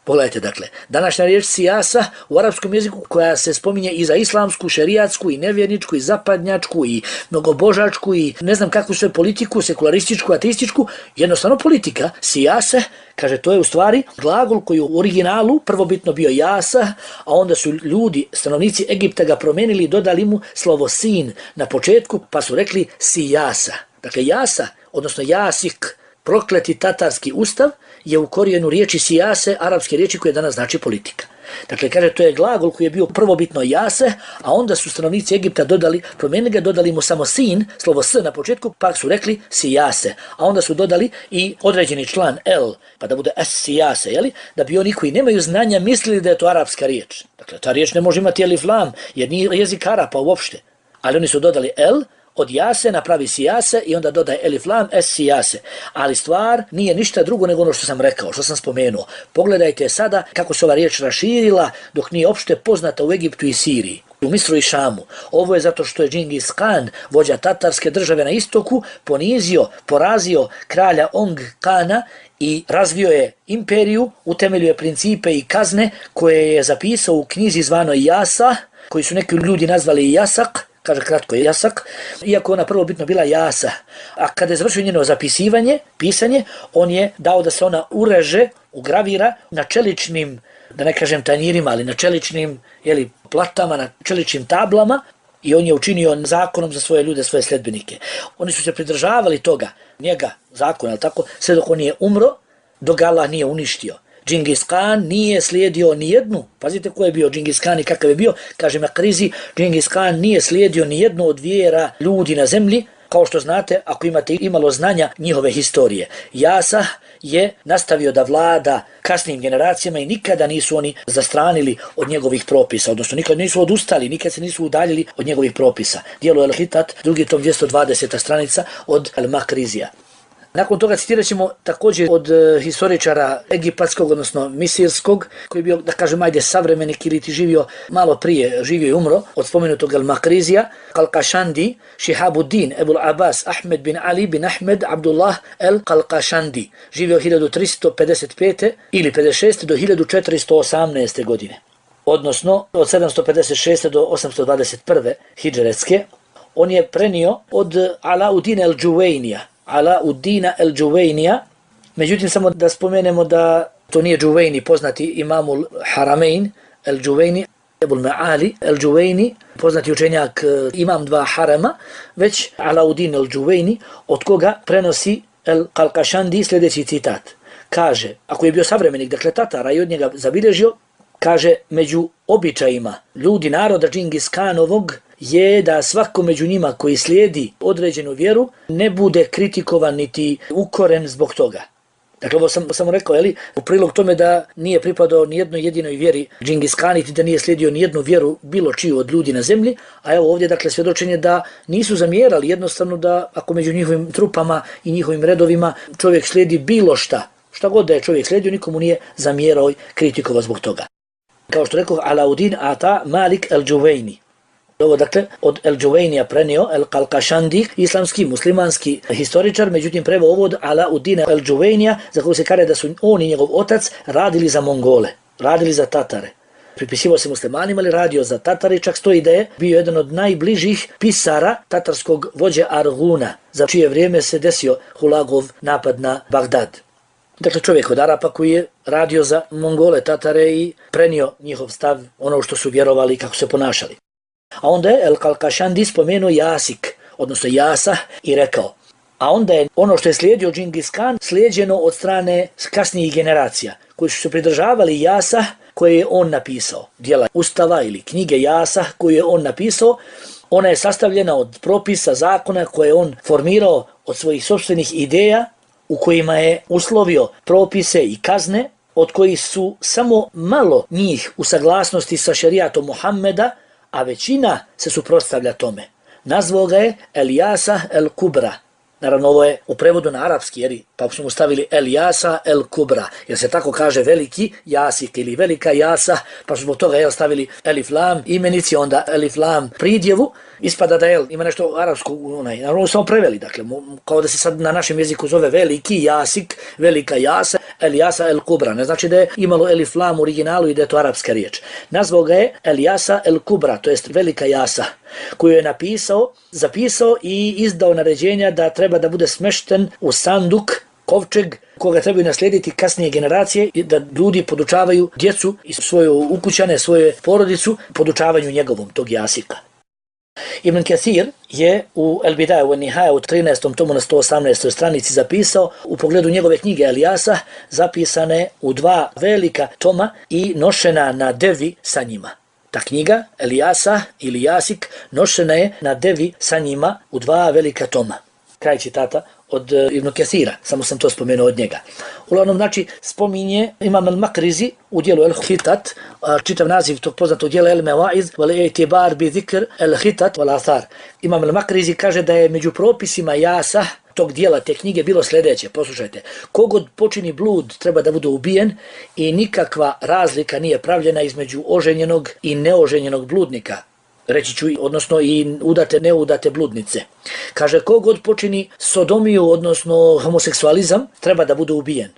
Pogledajte, dakle, današnja riječ sijasa u arapskom jeziku koja se spominje i za islamsku, šerijatsku, i nevjerničku, i zapadnjačku, i mnogobožačku, i ne znam kakvu sve politiku, sekularističku, ateističku, jednostavno politika, sijase, kaže, to je u stvari glagol koji u originalu prvobitno bio jasa, a onda su ljudi, stanovnici Egipta ga promenili i dodali mu slovo sin na početku, pa su rekli sijasa. Dakle, jasa, odnosno jasik, prokleti tatarski ustav, je u korijenu riječi sijase, arapske riječi koje danas znači politika. Dakle, kaže, to je glagol koji je bio prvobitno jase, a onda su stanovnici Egipta promijenili ga, dodali mu samo sin, slovo s na početku, pa su rekli sijase. A onda su dodali i određeni član el, pa da bude es sijase, jeli? Da bi oni koji nemaju znanja mislili da je to arapska riječ. Dakle, ta riječ ne može imati elif lam, jer nije jezik Arapa uopšte. Ali oni su dodali el, od jase napravi sijase i onda dodaje elif lam es sijase. Ali stvar nije ništa drugo nego ono što sam rekao, što sam spomenuo. Pogledajte sada kako se ova riječ raširila dok nije opšte poznata u Egiptu i Siriji, u Misru i Šamu. Ovo je zato što je Džingis Khan, vođa tatarske države na istoku, ponizio, porazio kralja Ong Kana i razvio je imperiju, utemeljio je principe i kazne koje je zapisao u knjizi zvanoj Jasa, koji su neki ljudi nazvali Jasak, kaže kratko jasak, iako ona prvobitno bila jasa. A kada je završio njeno zapisivanje, pisanje, on je dao da se ona ureže, ugravira na čeličnim, da ne kažem tanjirima, ali na čeličnim platama, na čeličnim tablama, i on je učinio zakonom za svoje ljude, svoje sledbenike. Oni su se pridržavali toga, njega, zakona, tako, sve dok on je umro, dok Allah nije uništio. Džingis Khan nije slijedio ni jednu, pazite ko je bio Džingis Khan i kakav je bio, kaže Makrizi, Džingis Khan nije slijedio ni jednu od vjera ljudi na zemlji, kao što znate, ako imate imalo znanja njihove historije. Jasa je nastavio da vlada kasnim generacijama i nikada nisu oni zastranili od njegovih propisa, odnosno nikada nisu odustali, nikad se nisu udaljili od njegovih propisa. Dijelo El-Hitat, drugi tom 220. stranica od Al-Makrizija. Nakon toga citirat ćemo također od historičara egipatskog, odnosno misirskog, koji je bio, da kažem, ajde savremenik ili ti živio malo prije, živio i umro, od spomenutog Al-Makrizija, Qalqashandi, Shihabuddin, Ebul Abbas, Ahmed bin Ali bin Ahmed, Abdullah el-Qalqashandi, živio 1355. ili 56. do 1418. godine, odnosno od 756. do 821. hidžretske. On je prenio od Alauddin el-Džuvejnija, Alauddina el-Džuvejnija, međutim samo da spomenemo da to nije Džuvejni, poznati imamul Haramein el-Džuvejni, Ebul Ma'ali el-Džuvejni, poznati učenjak imam dva harama, već Alauddin el-Džuvejni, od koga prenosi el-Qalqashandi sljedeći citat. Kaže, ako je bio savremenik, dakle Tatara, i od njega zabilježio, kaže, među običajima ljudi naroda Džingis Khanovog je da svako među njima koji slijedi određenu vjeru ne bude kritikovan niti ukoren zbog toga. Dakle, ovo sam samo rekao, u prilog tome da nije pripadao ni jednoj jedinoj vjeri Džingis Khan, niti da nije slijedio ni jednu vjeru bilo čiju od ljudi na zemlji, a evo ovdje, dakle, svjedočenje da nisu zamjerali, jednostavno da ako među njihovim trupama i njihovim redovima čovjek slijedi bilo šta god da je čovjek slijedio, nikomu nije zamjerao i kritikovao zbog toga. Kao što rekao, Alauddin ata Malik el-Džuvejni. Ovo, dakle, od el-Džuvejnija prenio el-Qalqashandi, islamski, muslimanski historičar, međutim preveo ovo od Alauddina el-Džuvejnija, za koju se kaže da su on i njegov otac radili za Mongole, radili za Tatare. Pripisivao se muslimanima, ali radio za Tatare, čak stoji da je bio jedan od najbližih pisara tatarskog vođe Arguna, za čije vrijeme se desio Hulagov napad na Bagdad. Dakle, čovjek od Arapa koji je radio za Mongole, Tatare i prenio njihov stav, ono što su vjerovali i kako se ponašali. A onda je El-Kalkašandi spomenuo Jasik, odnosno Jasah, i rekao, a onda je ono što je slijedio Džingis Khan slijeđeno od strane kasnijih generacija, koji su se pridržavali Jasah koje je on napisao. Dijela Ustava ili knjige Jasah koju je on napisao, ona je sastavljena od propisa, zakona koje je on formirao od svojih sopstvenih ideja, u kojima je uslovio propise i kazne, od kojih su samo malo njih u saglasnosti sa šerijatom Muhammeda, a većina se suprotstavlja tome. Nazvao ga je El Jasah El Kubra. Naravno, ovo je u prevodu na arapski, pa smo stavili El Jasah El Kubra, jer se tako kaže veliki Jasik ili velika Jasah, pa smo toga stavili Elif Lam imenici, onda Elif Lam pridjevu. Ispada da ima nešto arapsko, naravno samo preveli, dakle, kao da se sad na našem jeziku zove veliki Jasik, velika Jasah, El Jasah El Kubra. Ne znači da je imalo Elif Lam u originalu i da je to arapska riječ. Nazvao ga je El Jasah El Kubra, to jest velika Jasah, koju je napisao, zapisao i izdao naređenja da treba da bude smešten u sanduk, kovčeg, koga trebaju naslijediti kasnije generacije i da ljudi podučavaju djecu i svoje ukućane, svoje porodicu, podučavanju njegovom, tog Jasika. Ibn Kathir je u El Bidaja wa Nihaja u 13. tomu na 118. stranici zapisao u pogledu njegove knjige El Jasah, zapisane u 2 velika toma i nošena na devi sa njima. Ta knjiga, El Jasah ili Jasik, nošena je na devi sa njima u 2 velika toma. Kraj citata od Ibn Kathira, samo sam to spomenuo od njega. Uglavnom, znači, spominje Imam al-Makrizi u dijelu El-Hitat, čitav naziv tog poznatog dijela El-Mewaiz, wal-i'tibar bi zikr El-Hitat wal-Athar. Imam al-Makrizi kaže da je među propisima Jasah tog dijela te knjige bilo sljedeće, poslušajte, kogod počini blud treba da bude ubijen i nikakva razlika nije pravljena između oženjenog i neoženjenog bludnika. Reći ću, odnosno i udate, neudate bludnice. Kaže, kogod počini sodomiju, odnosno homoseksualizam, treba da bude ubijen.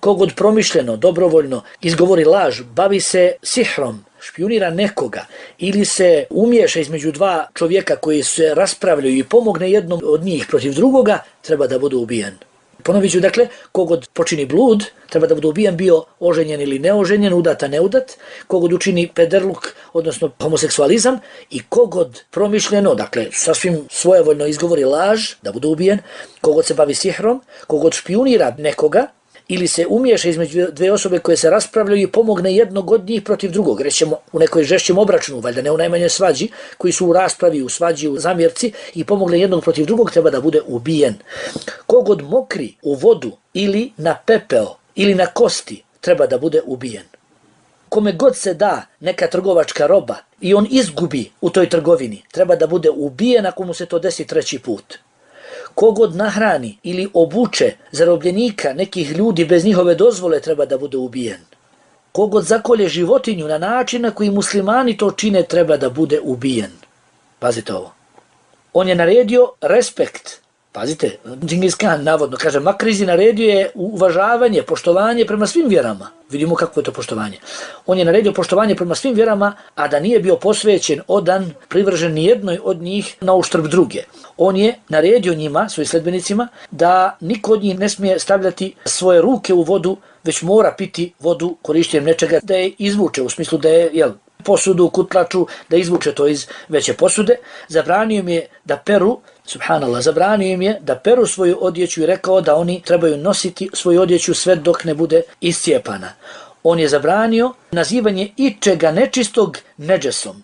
Kogod promišljeno, dobrovoljno izgovori laž, bavi se sihrom, špijunira nekoga ili se umiješa između 2 čovjeka koji se raspravljaju i pomogne jednom od njih protiv drugoga, treba da bude ubijen. Ponovit ću, dakle, kogod počini blud, treba da bude ubijen, bio oženjen ili neoženjen, udata, neudat, kogod učini pederluk, odnosno homoseksualizam, i kogod promišljeno, dakle, sasvim svojevoljno izgovori laž, da bude ubijen, kogod se bavi sihrom, kogod špijunira nekoga, ili se umiješa između 2 osobe koje se raspravljaju i pomogne jednog od njih protiv drugog, rećemo u nekoj žešćem obračunu, valjda ne u najmanjoj svađi, koji su u raspravi, u svađi, u zamjerci i pomogne jednog protiv drugog, treba da bude ubijen. Kogod mokri u vodu ili na pepeo ili na kosti, treba da bude ubijen. Kome god se da neka trgovačka roba i on izgubi u toj trgovini, treba da bude ubijen ako mu se to desi 3. put. Kogod nahrani ili obuče zarobljenika nekih ljudi bez njihove dozvole, treba da bude ubijen. Kogod zakolje životinju na način na koji muslimani to čine, treba da bude ubijen. Pazite ovo. On je naredio respekt. Pazite, Džingis Khan navodno, kaže, Makrizi naredio je uvažavanje, poštovanje prema svim vjerama. Vidimo kako je to poštovanje. On je naredio poštovanje prema svim vjerama, a da nije bio posvećen, odan, privržen nijednoj od njih na uštrb druge. On je naredio njima, svojim sledbenicima, da niko od njih ne smije stavljati svoje ruke u vodu, već mora piti vodu korištenjem nečega da je izvuče, u smislu da je, posudu, kutlaču, da izvuče to iz veće posude. Zabranio im je da peru, subhanallah, zabranio im je da peru svoju odjeću i rekao da oni trebaju nositi svoju odjeću sve dok ne bude iscijepana. On je zabranio nazivanje ičega nečistog nedžesom.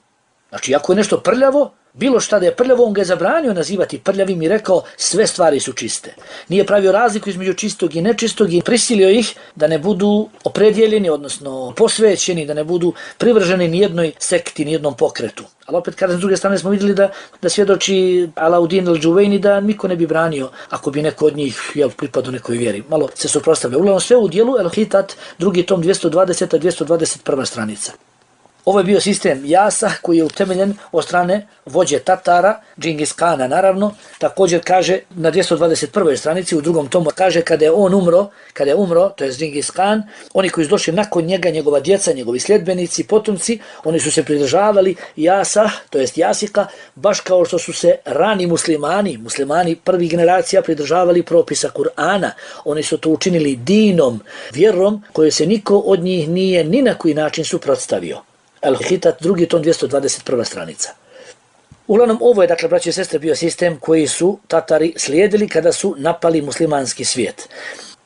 Znači, ako je nešto prljavo, bilo šta da je prljavo, on ga je zabranio nazivati prljavim i rekao sve stvari su čiste. Nije pravio razliku između čistog i nečistog i prisilio ih da ne budu opredjeljeni, odnosno posvećeni, da ne budu privrženi nijednoj sekti, nijednom pokretu. Ali opet, kada s druge strane smo vidjeli da svjedoči Alauddin al-Džuvejni da niko ne bi branio ako bi neko od njih pripadao nekoj vjeri. Malo se suprotstavlja. Uglavnom sve u dijelu El-Hitat, 2. tom 220. 221. stranica. Ovo je bio sistem Jasa koji je utemeljen od strane vođe Tatara, Džingis Kana naravno. Također kaže na 221. stranici u drugom tomu kaže kada je umro, to je Džingis Kan, oni koji su došli nakon njega, njegova djeca, njegovi sljedbenici, potomci, oni su se pridržavali Jasa, to jest Jasika, baš kao što su se rani muslimani prvih generacija pridržavali propisa Kur'ana. Oni su to učinili dinom, vjerom koju se niko od njih nije ni na koji način suprotstavio. Al-Hitat, drugi tom, 221. stranica. Uglavnom, ovo je, dakle, braći i sestre, bio sistem koji su Tatari slijedili kada su napali muslimanski svijet.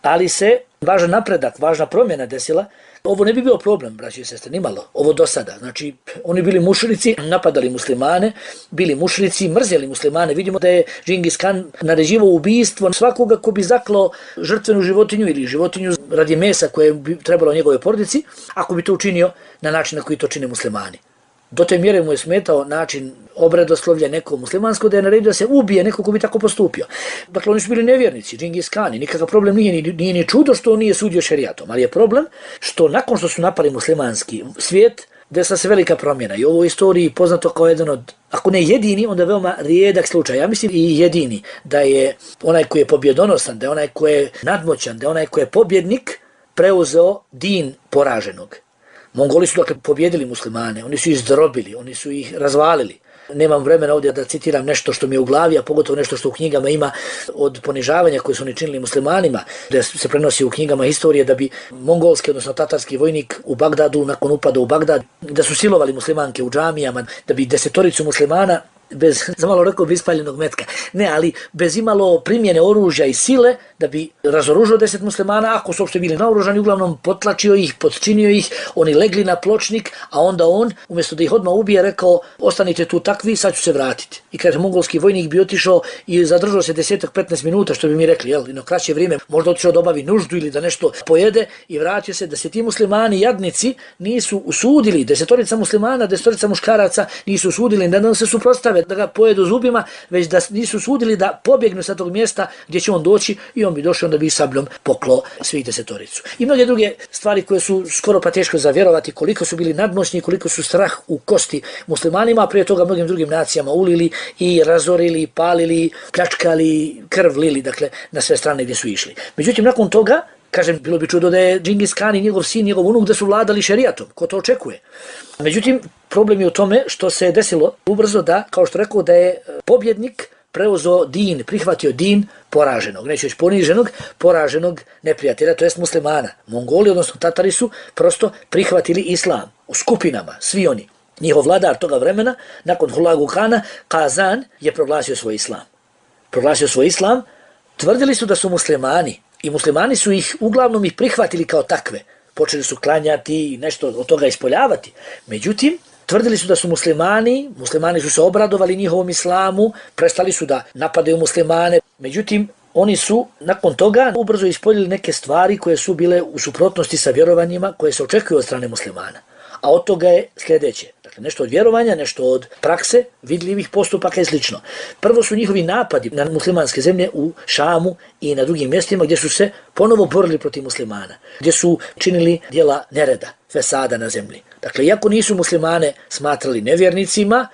Ali se važan napredak, važna promjena desila. Ovo ne bi bio problem, braći i sestre, nimalo. Ovo do sada. Znači, oni bili mušrici, napadali muslimane, bili mušrici, mrzeli muslimane. Vidimo da je Džingis Kan naređivao ubijstvo svakoga ko bi zaklao žrtvenu životinju ili životinju radi mesa koje bi trebalo njegove porodici, ako bi to učinio na način na koji to čine muslimani. Do te mjere mu je smetao način obredoslovlja nekog muslimanskog da je naredio da se ubije neko ko bi tako postupio. Dakle, oni su bili nevjernici, Džingis Kani, nikakav problem nije ni čudo što on nije sudio šerijatom, ali je problem što nakon što su napali muslimanski svijet, desila se velika promjena i ovo u istoriji poznato kao jedan od, ako ne jedini, onda veoma rijedak slučaj. Ja mislim i jedini, da je onaj koji je pobjedonosan, da je onaj koji je nadmoćan, da je onaj koji je pobjednik preuzeo din poraženog. Mongoli su dakle pobjedili muslimane, oni su ih zdrobili, oni su ih razvalili. Nemam vremena ovdje da citiram nešto što mi je u glavi, a pogotovo nešto što u knjigama ima od ponižavanja koje su oni činili muslimanima, da se prenosi u knjigama historije da bi mongolski, odnosno tatarski vojnik u Bagdadu, nakon upada u Bagdad, da su silovali muslimanke u džamijama, da bi 10 muslimana bez, za malo rekao, ispaljenog metka, ne, ali bez imalo primjene oružja i sile, da bi razoružio 10 muslimana, ako su uopšte bili naoružani, uglavnom potlačio ih, podčinio ih, oni legli na pločnik, a onda on, umjesto da ih odmah ubije, rekao, ostanite tu takvi, sad ću se vratiti. I kaže, mongolski vojnik bi otišao i zadržao se 10-15 minuta, što bi mi rekli, jel, i na kraće vrijeme, možda otišao da obavi nuždu ili da nešto pojede i vratio se, da se ti muslimani, jadnici, nisu usudili, 10 muslimana, 10 muškaraca nisu usudili, da se suprotstave, da ga pojedu zubima, već da nisu usudili da pobjegnu sa tog mjesta gdje će on doći i on bi došao, onda bi sabljom poklo svih 10. I mnoge druge stvari koje su skoro pa teško zavjerovati, koliko su bili nadmoćni, koliko su strah u kosti muslimanima, a prije toga mnogim drugim nacijama ulili i razorili, palili, pljačkali, krv lili, dakle, na sve strane gdje su išli. Međutim, nakon toga, kažem, bilo bi čudo da je Džingis Kan i njegov sin, njegov unuk, da su vladali šerijatom. Ko to očekuje? Međutim, problem je u tome što se desilo ubrzo da, kao što rekao, da je pobjednik preuzeo din, prihvatio din poraženog, neću reći poniženog, poraženog neprijatelja, to jest muslimana. Mongoli, odnosno Tatari su prosto prihvatili islam u skupinama, svi oni. Njihov vladar toga vremena, nakon Hulagu Kana, Kazan je proglasio svoj islam. Proglasio svoj islam, tvrdili su da su muslimani i muslimani su ih, uglavnom ih prihvatili kao takve. Počeli su klanjati i nešto od toga ispoljavati. Međutim, tvrdili su da su muslimani su se obradovali njihovom islamu, prestali su da napadaju muslimane. Međutim, oni su nakon toga ubrzo ispoljili neke stvari koje su bile u suprotnosti sa vjerovanjima koje se očekuju od strane muslimana. A od toga je sljedeće. Dakle, nešto od vjerovanja, nešto od prakse, vidljivih postupaka i slično. Prvo su njihovi napadi na muslimanske zemlje u Šamu i na drugim mjestima gdje su se ponovo borili protiv muslimana, gdje su činili djela nereda, fesada na zemlji. Dakle, iako nisu muslimane smatrali nevjernicima,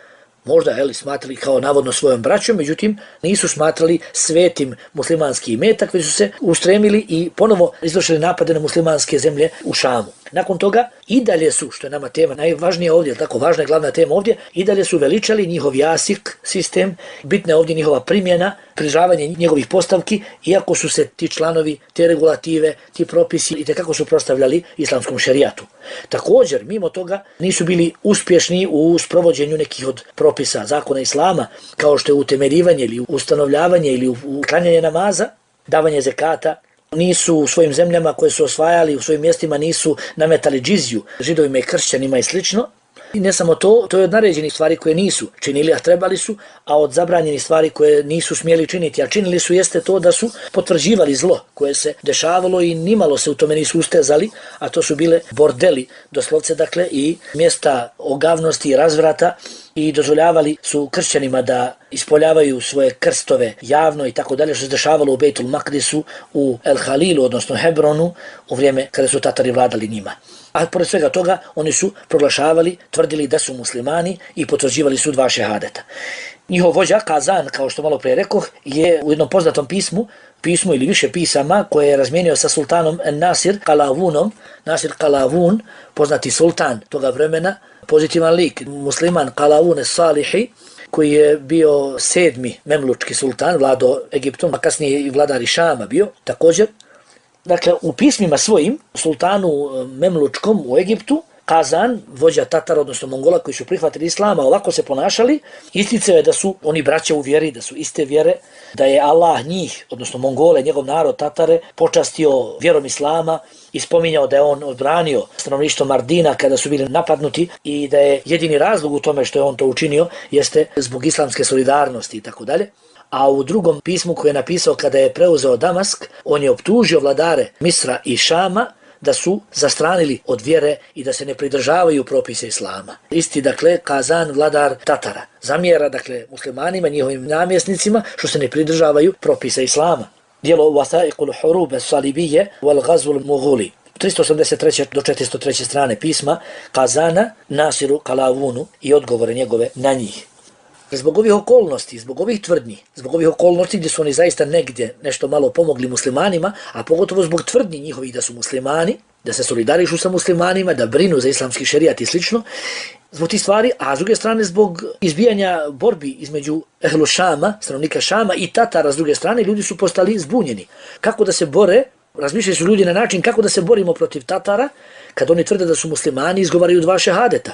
možda smatrali kao navodno svojom braćom, međutim nisu smatrali svetim muslimanski imetak, već su se ustremili i ponovo izvršili napade na muslimanske zemlje u Šamu. Nakon toga i dalje su, što je nama tema najvažnija ovdje, tako važna je glavna tema ovdje, i dalje su veličali njihov jasik sistem, bitna je ovdje njihova primjena, pridržavanje njegovih postavki, iako su se ti članovi, te regulative, ti propisi i tekako su prostavljali islamskom šerijatu. Također, mimo toga, nisu bili uspješni u sprovođenju nekih od propisa zakona islama, kao što je utemeljivanje ili ustanovljavanje ili uklanjanje namaza, davanje zekata. Nisu u svojim zemljama koje su osvajali, u svojim mjestima nisu nametali džiziju židovima i kršćanima i slično. I ne samo to, to je od naređenih stvari koje nisu činili, a trebali su, a od zabranjenih stvari koje nisu smjeli činiti, a činili su, jeste to da su potvrđivali zlo koje se dešavalo i nimalo se u tome nisu ustezali, a to su bile bordeli, doslovce, dakle, i mjesta ogavnosti i razvrata i dozvoljavali su kršćanima da ispoljavaju svoje krstove javno i tako dalje, što se dešavalo u Bejtul Makdisu, u El Halilu, odnosno Hebronu, u vrijeme kada su Tatari vladali njima. A pored svega toga, oni su proglašavali, tvrdili da su muslimani i potvrđivali su 2 šehadeta. Njihov vođa Kazan, kao što malo prije rekoh, je u jednom poznatom pismu ili više pisama koje je razmijenio sa sultanom Nasir Kalavunom. Nasir Kalavun, poznati sultan toga vremena, pozitivan lik, musliman Kalavun es-Salihi, koji je bio 7. memlučki sultan, vladao Egiptom, a kasnije i vladar Šama bio također. Dakle, u pismima svojim, sultanu memlučkom u Egiptu, Kazan, vođa Tatara, odnosno Mongola koji su prihvatili islama, ovako se ponašali, isticao je da su oni braća u vjeri, da su iste vjere, da je Allah njih, odnosno Mongole, njegov narod Tatare, počastio vjerom islama i spominjao da je on odbranio stanovništvo Mardina kada su bili napadnuti i da je jedini razlog u tome što je on to učinio jeste zbog islamske solidarnosti i tako dalje. A u drugom pismu koje je napisao kada je preuzeo Damask, on je optužio vladare Misra i Šama da su zastranili od vjere i da se ne pridržavaju propise islama. Isti, dakle, Kazan, vladar Tatara, zamjera, dakle, muslimanima, njihovim namjesnicima, što se ne pridržavaju propise islama. Dijelo Wathaiqul Hurub as-Salibiyye wal Ghazw al-Mughuli, 383. do 403. strane pisma Kazana Nasiru Kalavunu i odgovore njegove na njih. Zbog ovih okolnosti, zbog ovih tvrdnji, zbog ovih okolnosti gdje su oni zaista negdje nešto malo pomogli muslimanima, a pogotovo zbog tvrdnji njihovih da su muslimani, da se solidarišu sa muslimanima, da brinu za islamski šerijat i slično, zbog tih stvari, a s druge strane zbog izbijanja borbi između Ehlu Šama, stanovnika Šama i Tatara s druge strane, ljudi su postali zbunjeni. Kako da se bore, razmišljaju su ljudi na način kako da se borimo protiv Tatara, kad oni tvrde da su muslimani i izgovaraju 2 šehadeta.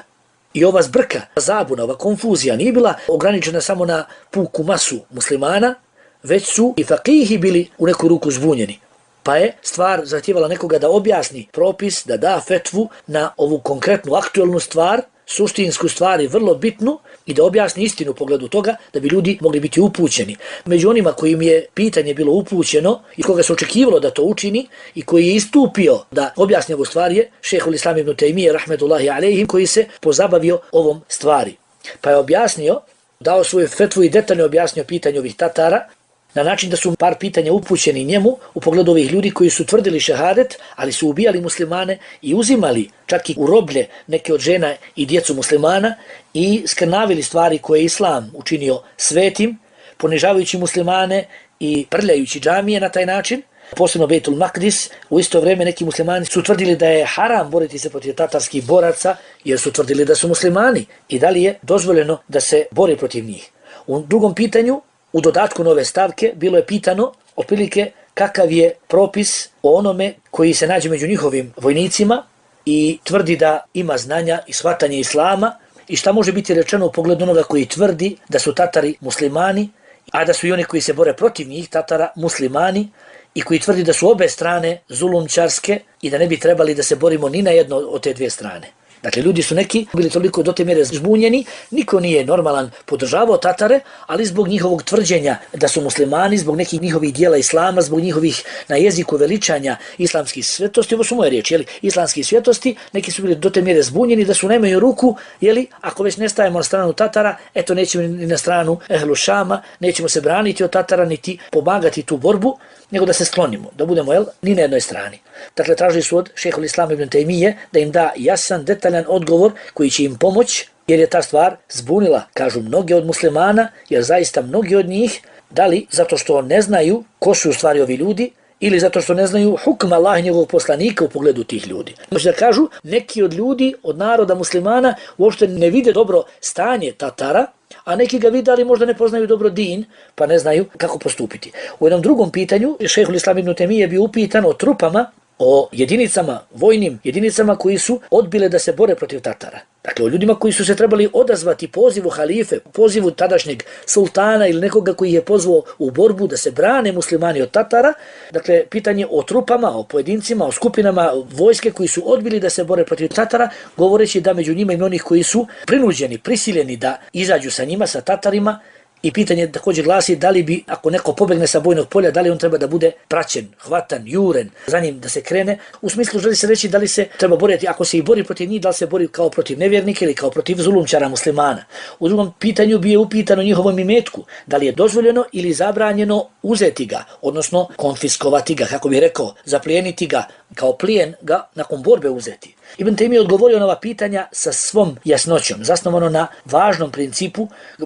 I ova zbrka, zabuna, ova konfuzija nije bila ograničena samo na puku masu muslimana, već su i fakihi bili u neku ruku zbunjeni. Pa je stvar zahtijevala nekoga da objasni propis, da da fetvu na ovu konkretnu aktualnu stvar, suštinsku stvar i vrlo bitnu i da objasni istinu u pogledu toga da bi ljudi mogli biti upućeni. Među onima kojim je pitanje bilo upućeno i koga se očekivalo da to učini i koji je istupio da objasni ovu stvar je Šejhul Islam ibn Tejmije rahmetullahi alejhi, koji se pozabavio ovom stvari. Pa je objasnio, dao svoju fetvu i detaljno objasnio pitanje ovih Tatara na način da su par pitanja upućeni njemu u pogledu ovih ljudi koji su tvrdili šehadet, ali su ubijali muslimane i uzimali čak i u roblje neke od žena i djecu muslimana i skrnavili stvari koje je Islam učinio svetim, ponižavajući muslimane i prljajući džamije na taj način. Posebno Bejtul Makdis, u isto vrijeme neki muslimani su tvrdili da je haram boriti se protiv tatarskih boraca jer su tvrdili da su muslimani i da li je dozvoljeno da se bori protiv njih. U drugom pitanju, u dodatku nove stavke, bilo je pitano otprilike kakav je propis o onome koji se nađe među njihovim vojnicima i tvrdi da ima znanja i shvatanje islama i šta može biti rečeno u pogledu onoga koji tvrdi da su Tatari muslimani, a da su i oni koji se bore protiv njih, Tatara, muslimani, i koji tvrdi da su obe strane zulumčarske i da ne bi trebali da se borimo ni na jedno od te 2 strane. Dakle, ljudi su neki bili toliko do te mjere zbunjeni, niko nije normalan podržavao Tatare, ali zbog njihovog tvrđenja da su muslimani, zbog nekih njihovih dijela islama, zbog njihovih na jeziku veličanja islamskih svetosti, ovo su moje riječi, jeli, islamskih svetosti, neki su bili do te mjere zbunjeni da su nemaju ruku, jeli, ako već ne stajemo na stranu Tatara, eto nećemo ni na stranu Ehlu Šama, nećemo se braniti od Tatara, niti pomagati tu borbu, nego da se sklonimo, da budemo ni na jednoj strani. Dakle, tražili su od Šejhul Islam ibn Tejmije da im da jasan, detaljan odgovor koji će im pomoći, jer je ta stvar zbunila, kažu mnogi od muslimana, jer zaista mnogi od njih, da li zato što ne znaju ko su u stvari ovi ljudi, ili zato što ne znaju hukm Allah i njegovog poslanika u pogledu tih ljudi. Znači da kažu, neki od ljudi, od naroda muslimana, uopšte ne vide dobro stanje Tatara, a neki ga vide, ali možda ne poznaju dobro din, pa ne znaju kako postupiti. U jednom drugom pitanju, Šejhul Islam ibn Tejmije je bio upitan o trupama, o jedinicama, vojnim jedinicama koji su odbile da se bore protiv Tatara. Dakle, o ljudima koji su se trebali odazvati pozivu halife, pozivu tadašnjeg sultana ili nekoga koji je pozvao u borbu da se brane muslimani od Tatara. Dakle, pitanje o trupama, o pojedincima, o skupinama vojske koji su odbili da se bore protiv Tatara, govoreći da među njima ima onih koji su prinuđeni, prisiljeni da izađu sa njima, sa Tatarima, I pitanje također glasi da li bi, ako neko pobegne sa bojnog polja, da li on treba da bude praćen, hvatan, juren, za njim da se krene. U smislu želi se reći da li se treba boriti, ako se i bori protiv njih, da li se bori kao protiv nevjernika ili kao protiv zulumčara muslimana. U drugom pitanju bi je upitano njihovom imetku, da li je dozvoljeno ili zabranjeno uzeti ga, odnosno konfiskovati ga, kako bih rekao, zaplijeniti ga, kao plijen ga nakon borbe uzeti. Ibn Tejmije je odgovorio na ova pitanja sa svom jasnoćom, zasnovano na važnom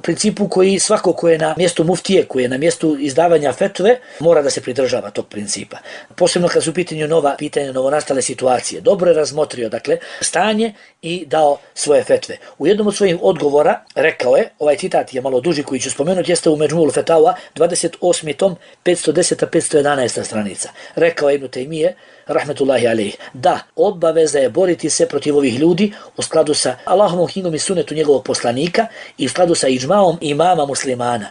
principu koji svako ko je na mjestu muftije, koji je na mjestu izdavanja fetve, mora da se pridržava tog principa. Posebno kad su u pitanju novonastale situacije. Dobro je razmotrio, dakle, stanje i dao svoje fetve. U jednom od svojih odgovora rekao je, ovaj citat je malo duži koji ću spomenuti, jeste u Međmu'ul Fetawa, 28. tom, 510-511 stranica. Rekao je Ibn Tejmije, rahmetullahi alejhi, da, obaveza je boriti se protiv ovih ljudi u skladu sa Allahovom knjigom i sunnetu njegovog poslanika i u skladu sa iđmaom imama muslimana.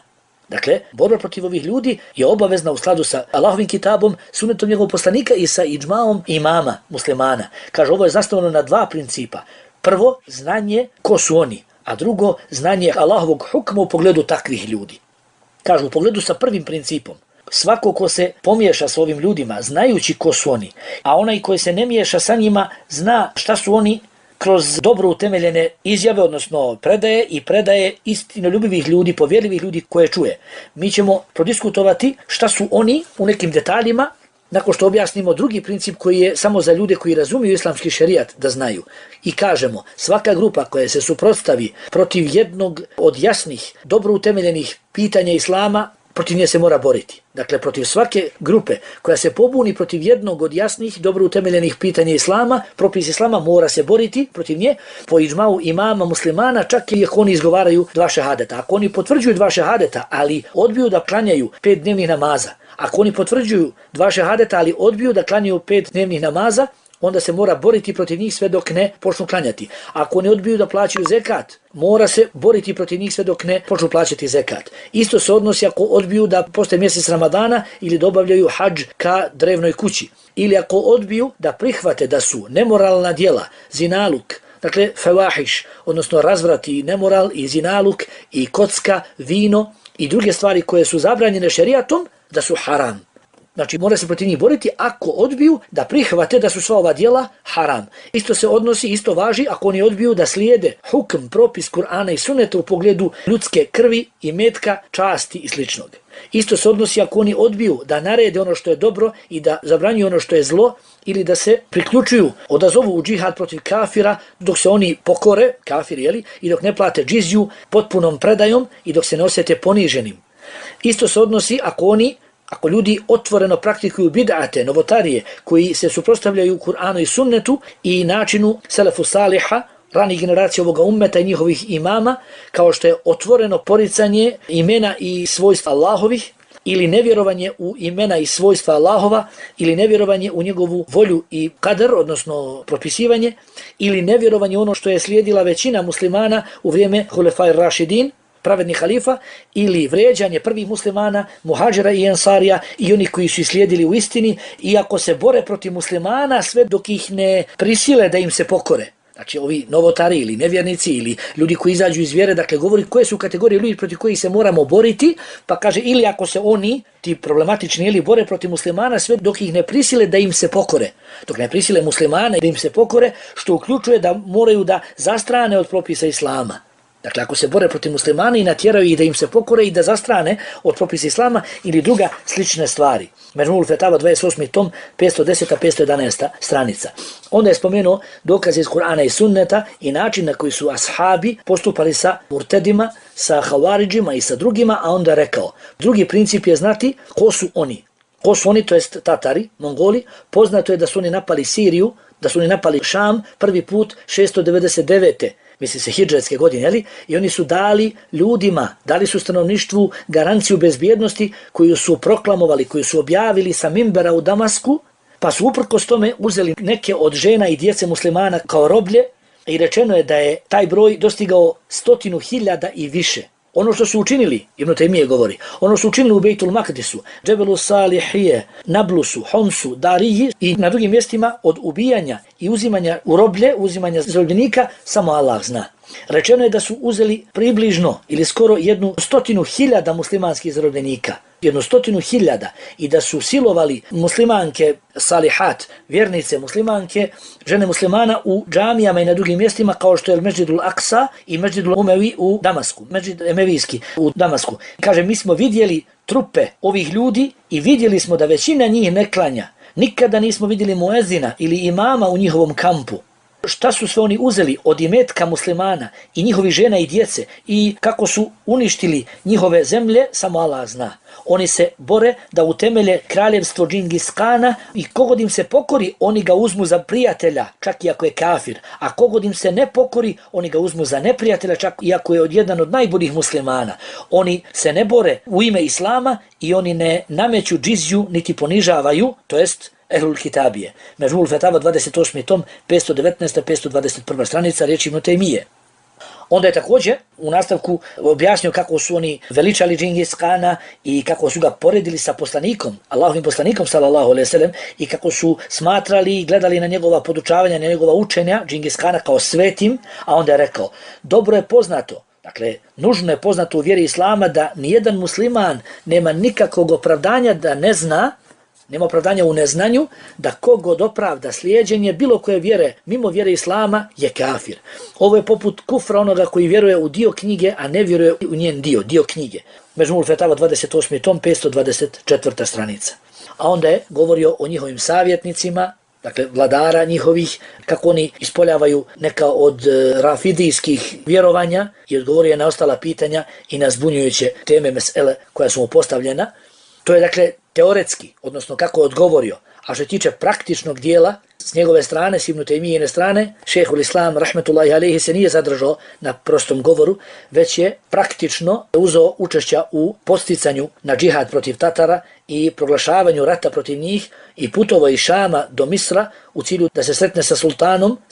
Dakle, borba protiv ovih ljudi je obavezna u skladu sa Allahovim kitabom, sunnetom njegovog poslanika i sa iđmaom imama muslimana. Kaže, ovo je zasnovano na dva principa. Prvo, znanje ko su oni, a drugo, znanje Allahovog hukma u pogledu takvih ljudi. Kaže, u pogledu sa prvim principom, svako ko se pomiješa s ovim ljudima, znajući ko su oni, a onaj koji se ne miješa sa njima, zna šta su oni kroz dobro utemeljene izjave, odnosno predaje istinoljubivih ljudi, povjerljivih ljudi koje čuje. Mi ćemo prodiskutovati šta su oni u nekim detaljima, nakon što objasnimo drugi princip koji je samo za ljude koji razumiju islamski šerijat da znaju. I kažemo, svaka grupa koja se suprotstavi protiv jednog od jasnih, dobro utemeljenih pitanja islama, protiv nje se mora boriti. Dakle, protiv svake grupe koja se pobuni protiv jednog od jasnih, dobro utemeljenih pitanja islama, propis islama, mora se boriti protiv nje po iđmau imama muslimana, čak i ako oni izgovaraju dva šehadeta. Ako oni potvrđuju dva šehadeta, ali odbiju da klanjaju 5 dnevnih namaza, ako oni potvrđuju dva šehadeta, ali odbiju da klanjaju 5 dnevnih namaza, onda se mora boriti protiv njih sve dok ne počnu klanjati. Ako oni odbiju da plaćaju zekat, mora se boriti protiv njih sve dok ne počnu plaćati zekat. Isto se odnosi ako odbiju da postoje mjesec Ramadana ili dobavljaju hadž ka drevnoj kući. Ili ako odbiju da prihvate da su nemoralna djela, zinaluk, dakle fevahiš, odnosno razvrati i nemoral i zinaluk i kocka, vino i druge stvari koje su zabranjene šerijatom, da su haram. Znači, mora se protiv njih boriti ako odbiju da prihvate da su sva ova djela haram. Isto se odnosi, isto važi ako oni odbiju da slijede hukm, propis Kur'ana i sunneta u pogledu ljudske krvi, imetka, časti i sličnog. Isto se odnosi ako oni odbiju da narede ono što je dobro i da zabranjuju ono što je zlo ili da se priključuju, odazovu u džihad protiv kafira dok se oni pokore, kafiri, i dok ne plate džiziju potpunom predajom i dok se ne osjete poniženim. Isto se odnosi ako ljudi otvoreno praktikuju bid'ate, novotarije, koji se suprotstavljaju Kur'anu i sunnetu i načinu selefu saliha, ranih generacija ovoga ummeta i njihovih imama, kao što je otvoreno poricanje imena i svojstva Allahovih, ili nevjerovanje u imena i svojstva Allahova, ili nevjerovanje u njegovu volju i kadar, odnosno propisivanje, ili nevjerovanje ono što je slijedila većina muslimana u vrijeme Hulefaj Rašidin, pravedni halifa, ili vrijeđanje prvih muslimana, muhađira i ensarija i oni koji su slijedili u istini, iako se bore protiv muslimana sve dok ih ne prisile da im se pokore. Znači ovi novotari ili nevjernici ili ljudi koji izađu iz vjere, dakle govori koje su kategorije ljudi protiv kojih se moramo boriti, pa kaže ili ako se oni, ti problematični, ili bore protiv muslimana sve dok ih ne prisile da im se pokore. Dok ne prisile muslimane da im se pokore, što uključuje da moraju da zastrane od propisa islama. Dakle, ako se bore protiv muslimana i natjeraju ih da im se pokore i da zastrane od propisa islama ili druga slične stvari. Međmu'ul Fetawa 28. tom, 510-511 stranica. Onda je spomenuo dokaze iz Kur'ana i sunneta i način na koji su ashabi postupali sa murtedima, sa havaridžima i sa drugima, a onda rekao, drugi princip je znati ko su oni. Ko su oni, to jest Tatari, Mongoli. Poznato je da su oni napali Siriju, da su oni napali Šam prvi put 699. misli se hidžretske godine, i oni su dali ljudima, dali su stanovništvu garanciju bezbjednosti koju su proklamovali, koju su objavili sa mimbera u Damasku, pa su uprkos tome uzeli neke od žena i djece muslimana kao roblje i rečeno je da je taj broj dostigao 100.000 i više. Ono što su učinili, Ibn Tejmije govori, ono su učinili u Bejtul Makdisu, Džebelu Salihije, Nablusu, Homsu, Dariji i na drugim mjestima od ubijanja i uzimanja u roblje, uzimanja zarobljenika, samo Allah zna. Rečeno je da su uzeli približno ili skoro 100.000 muslimanskih zarobljenika. 100.000 i da su silovali muslimanke salihat, vjernice muslimanke, žene muslimana u džamijama i na drugim mjestima kao što je Mesdžidul Aksa i Mesdžidul Umevi u Damasku, Mesdžid Emevijski u Damasku. Kaže, mi smo vidjeli trupe ovih ljudi i vidjeli smo da većina njih ne klanja. Nikada nismo vidjeli muezina ili imama u njihovom kampu. Šta su sve oni uzeli od imetka muslimana i njihovih žena i djece i kako su uništili njihove zemlje, samo Allah zna. Oni se bore da utemelje kraljevstvo Džingis Kana i kogod im se pokori, oni ga uzmu za prijatelja, čak i ako je kafir. A kogod im se ne pokori, oni ga uzmu za neprijatelja, čak i ako je jedan od najboljih muslimana. Oni se ne bore u ime Islama i oni ne nameću džizju niti ponižavaju, to jest Ehlul Kitabije. Međmul Fetava 28. tom, 519. 521. stranica, riječi Ibn Tejmije. Onda je također u nastavku objasnio kako su oni veličali Džingis Kana i kako su ga poredili sa poslanikom, Allahovim poslanikom sallallahu alejhi ve sellem, i kako su smatrali i gledali na njegova podučavanja, na njegova učenja Džingis Kana kao svetim, a onda je rekao, dobro je poznato, dakle, nužno je poznato u vjeri Islama da nijedan musliman nema nikakvog opravdanja da ne zna, nema opravdanja u neznanju, da kogod opravda slijeđenje bilo koje vjere mimo vjere Islama je kafir. Ovo je poput kufra onoga koji vjeruje u dio knjige, a ne vjeruje u njen dio knjige. Međmul Fetava 28. tom, 524. stranica. A onda je govorio o njihovim savjetnicima, dakle vladara njihovih, kako oni ispoljavaju neka od rafidijskih vjerovanja i odgovorio je na ostala pitanja i na zbunjujuće teme mesele koja su mu postavljena. To je dakle teoretski, odnosno kako je odgovorio. A što se tiče praktičnog dijela, s njegove strane, s Ibn Tejmijine strane, šejhul Islam, rahmetullahi alejhi, se nije zadržao na prostom govoru, već je praktično uzeo učešća u posticanju na džihad protiv Tatara i proglašavanju rata protiv njih i putovao iz Šama do Misra u cilju da se sretne sa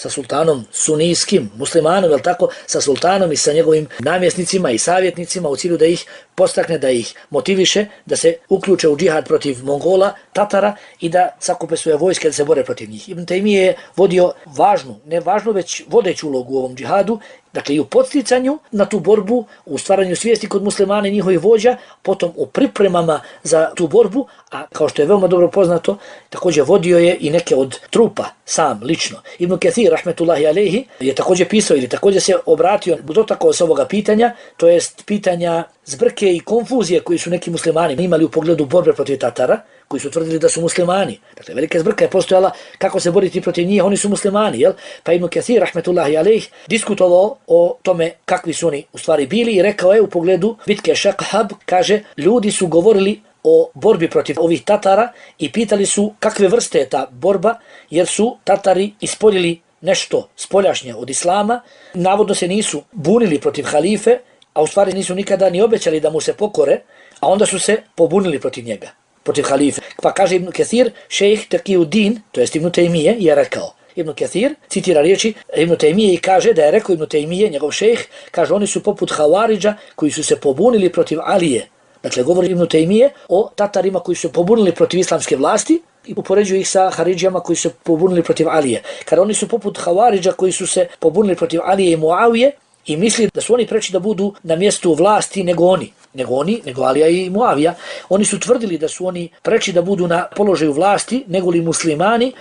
sultanom sunijskim, muslimanom, jel tako, sa sultanom i sa njegovim namjesnicima i savjetnicima u cilju da ih postakne, da ih motiviše, da se uključe u džihad protiv Mongola, Tatara i da sakupe svoje vojske da se bore protiv njih. Ibn Tejmije je vodio važnu, ne važnu, već vodeću ulogu u ovom džihadu, dakle i u podsticanju na tu borbu, u stvaranju svijesti kod muslimana i njihovih vođa, potom u pripremama za tu borbu, a kao što je veoma dobro poznato, također vodio je i neke od trupa, sam, lično. Ibn Kathir, rahmetullahi alejhi, je također pisao ili također se obratio, dotakao se ovoga pitanja, to jest pitanja zbrke i konfuzije koji su neki muslimani imali u pogledu borbe protiv Tatara, koji su tvrdili da su muslimani. Dakle, velika zbrka je postojala kako se boriti protiv njih, oni su muslimani, jel? Pa Ibn Kathir, rahmetullahi alejhi, diskutovao o tome kakvi su oni u stvari bili i rekao je u pogledu bitke Šakhab, kaže, ljudi su govorili o borbi protiv ovih Tatara i pitali su kakve vrste je ta borba, jer su Tatari ispoljili nešto spoljašnje od Islama, navodno se nisu bunili protiv halife, a u stvari nisu nikada ni obećali da mu se pokore, a onda su se pobunili protiv njega, protiv halife. Pa kaže Ibn Kathir, šejh Taqiyuddin, to jest Ibn Tejmije, je rekao, Ibn Kathir citira riječi Ibn Tejmije i kaže da je rekao Ibn Tejmije, njegov šejh, kaže oni su poput Havaridža koji su se pobunili protiv Alije. Dakle, govori Ibn Tejmije o Tatarima koji su pobunili protiv islamske vlasti i upoređuju ih sa Haridžama koji su pobunili protiv Alije. Kada oni su poput Havaridža koji su se pobunili protiv Alije i Muavije i misli da su oni preči da budu na mjestu vlasti nego Alija i Muavija. Oni su tvrdili da su oni preči da budu na položaju vlasti nego li muslimani,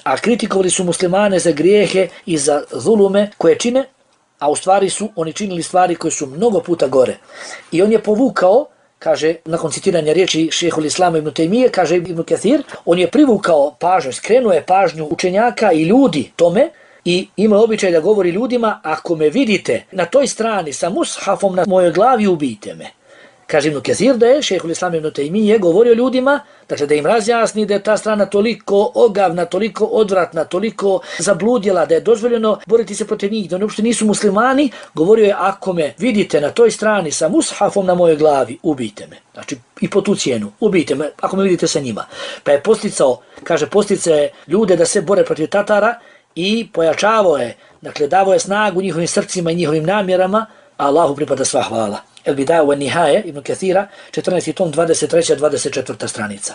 a kritikovali su muslimane za grijehe i za zulume koje čine, a u stvari su oni činili stvari koje su mnogo puta gore. I on je povukao, kaže, nakon citiranja riječi šejhul Islama Ibn Tejmije, kaže Ibn Kathir, on je privukao pažnju, skrenuo je pažnju učenjaka i ljudi tome i ima običaj da govori ljudima, ako me vidite na toj strani sa mushafom na mojoj glavi, ubijte me. Kaže Ibn Kathir da je šejhul Islam Ibn Tejmije govorio ljudima, dakle da im razjasni da je ta strana toliko ogavna, toliko odvratna, toliko zabludjela, da je dozvoljeno boriti se protiv njih, da oni uopšte nisu muslimani, govorio je, ako me vidite na toj strani sa mushafom na mojoj glavi, ubijte me. Znači i po tu cijenu, ubijte me ako me vidite sa njima. Pa je posticao ljude da se bore protiv Tatara i pojačavao je, dakle davao je snagu njihovim srcima i njihovim namjerama, a Allahu pripada sva hvala. El Bidaja wa Nihaje, Ibn Kathira, 14. tom, 23. 24. stranica.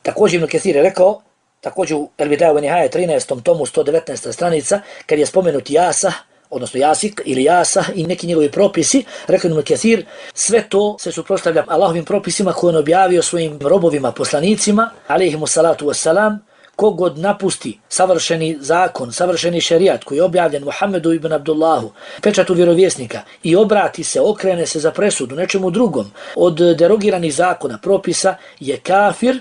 Također Ibn Kathir je rekao, također u El Bidaja wa Nihaje, 13. tomu, 119. stranica, kad je spomenut Jasa, odnosno jasik ili jasa i neki njegovi propisi, rekao Ibn Kathir, sve to se suprotstavlja Allahovim propisima koje on objavio svojim robovima, poslanicima, alejhimu salatu wassalam. Kogod napusti savršeni zakon, savršeni šerijat koji je objavljen Muhammedu ibn Abdullahu, pečatu vjerovjesnika, i obrati se, okrene se za presudu nečemu drugom od derogiranih zakona, propisa, je kafir,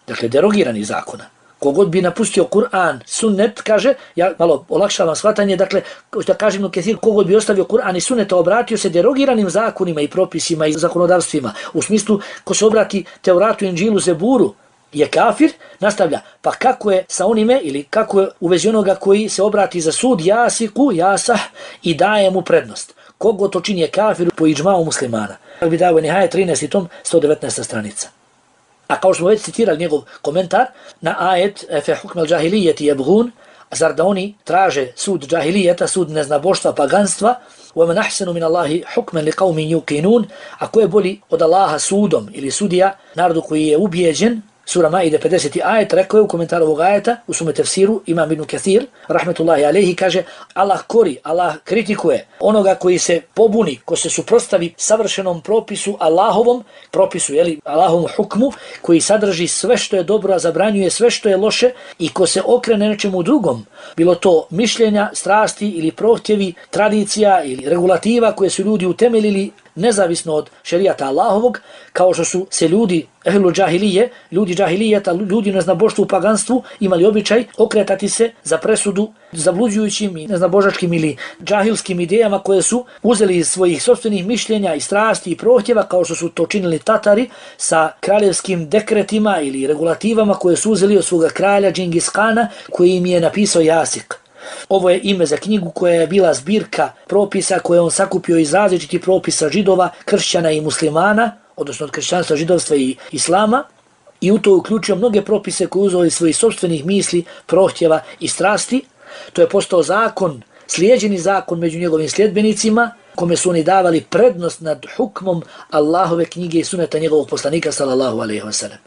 dakle derogiranih zakona. Kogod bi napustio Kur'an, sunnet, kaže, ja malo olakšavam shvatanje, dakle, što kažem u Kathir, kogod bi ostavio Kur'an i sunneta, obratio se derogiranim zakonima i propisima i zakonodavstvima, u smislu ko se obrati Tevratu, Inđilu, Zeburu, je kafir, nastavlja, pa kako je sa onime ili kako je u vezi onoga koji se obrati za sud jasiku, jasah i daje mu prednost. Kogo to čini je kafir po iđmau muslimana. Bi dao je Nihaje 13. tom 119. stranica. A kao što smo već citirali njegov komentar na ajet fe hukmel džahilijeti jebgun, zar da oni traže sud džahilijeta, sud neznaboštva, paganstva, وَمَنْ أَحْسَنُ مِنَ اللَّهِ حُكْمًا لِقَوْمٍ يُقِنُونَ, a ko je bolji od Allaha sudom ili sudija narodu koji je ubijeđen. Sura Maide 50. ajet, rekao je u komentaru ovog ajeta, u svome tefsiru, Imam Ibn Kathir, rahmetullahi alejhi, kaže Allah kori, Allah kritikuje onoga koji se pobuni, ko se suprotstavi savršenom propisu Allahovom, propisu, Allahovom hukmu, koji sadrži sve što je dobro, a zabranjuje sve što je loše, i ko se okrene nečemu drugom, bilo to mišljenja, strasti ili prohtjevi, tradicija ili regulativa koje su ljudi utemeljili nezavisno od šerijata Allahovog, kao što su se ljudi ehlu džahilije, ljudi džahilijeta, ljudi neznaboštvu u paganstvu imali običaj okretati se za presudu zabluđujućim i neznabožačkim ili džahilskim idejama koje su uzeli iz svojih sopstvenih mišljenja i strasti i prohtjeva, kao što su to činili Tatari sa kraljevskim dekretima ili regulativama koje su uzeli od svoga kralja Džingis Kana, koji im je napisao jasik. Ovo je ime za knjigu koja je bila zbirka propisa koje on sakupio iz različitih propisa židova, kršćana i muslimana, odnosno od kršćanstva, židovstva i islama, i u to uključio mnoge propise koje uzeli iz svojih sopstvenih misli, prohtjeva i strasti. To je postao zakon, slijeđeni zakon među njegovim sljedbenicima, kome su oni davali prednost nad hukmom Allahove knjige i suneta njegovog poslanika sallallahu alejhi ve sellem.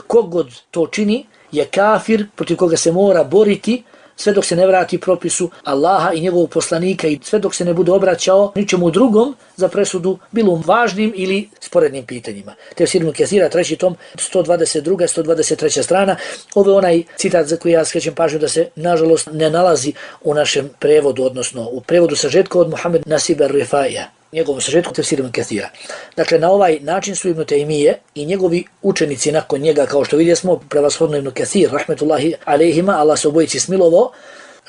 Kogod to čini je kafir protiv koga se mora boriti sve dok se ne vrati propisu Allaha i njegovog poslanika i sve dok se ne bude obraćao ničemu drugom za presudu, bilo važnim ili sporednim pitanjima. Tefsir Ibn Kathira, 3. tom, 122. 123. strana. Ovo je onaj citat za koji ja skrećem pažnju da se, nažalost, ne nalazi u našem prevodu, odnosno u prevodu sažetka od Muhammed Nasiba Rifaija, njegovom sažetku Tefsir Ibn Kathira. Dakle, na ovaj način su Ibn Taymije i njegovi učenici nakon njega, kao što vidjesmo, prevashodno Ibn Kathir, rahmetullahi alejhima, Allah se obojici smilovao,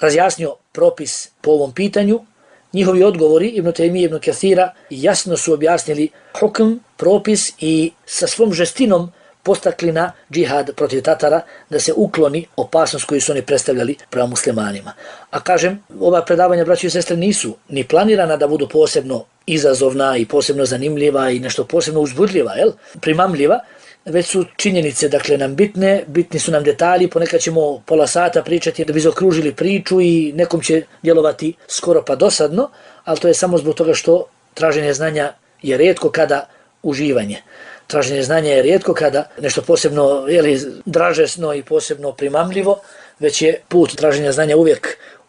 razjasnio propis po ovom pitanju. Njihovi odgovori Ibn Taymije i Ibn Kathira jasno su objasnili hukm, propis i sa svom žestinom postakli na džihad protiv Tatara, da se ukloni opasnost koju su oni predstavljali prema muslimanima. A kažem, ova predavanja, braći i sestre, nisu ni planirana da budu posebno izazovna i posebno zanimljiva i nešto posebno uzbudljiva, primamljiva, već su činjenice, dakle, nam bitni su nam detalji, ponekad ćemo pola sata pričati da bi zaokružili priču i nekom će djelovati skoro pa dosadno, ali to je samo zbog toga što traženje znanja je rijetko kada uživanje. Traženje znanja je rijetko kada nešto posebno dražesno i posebno primamljivo, već je put traženja znanja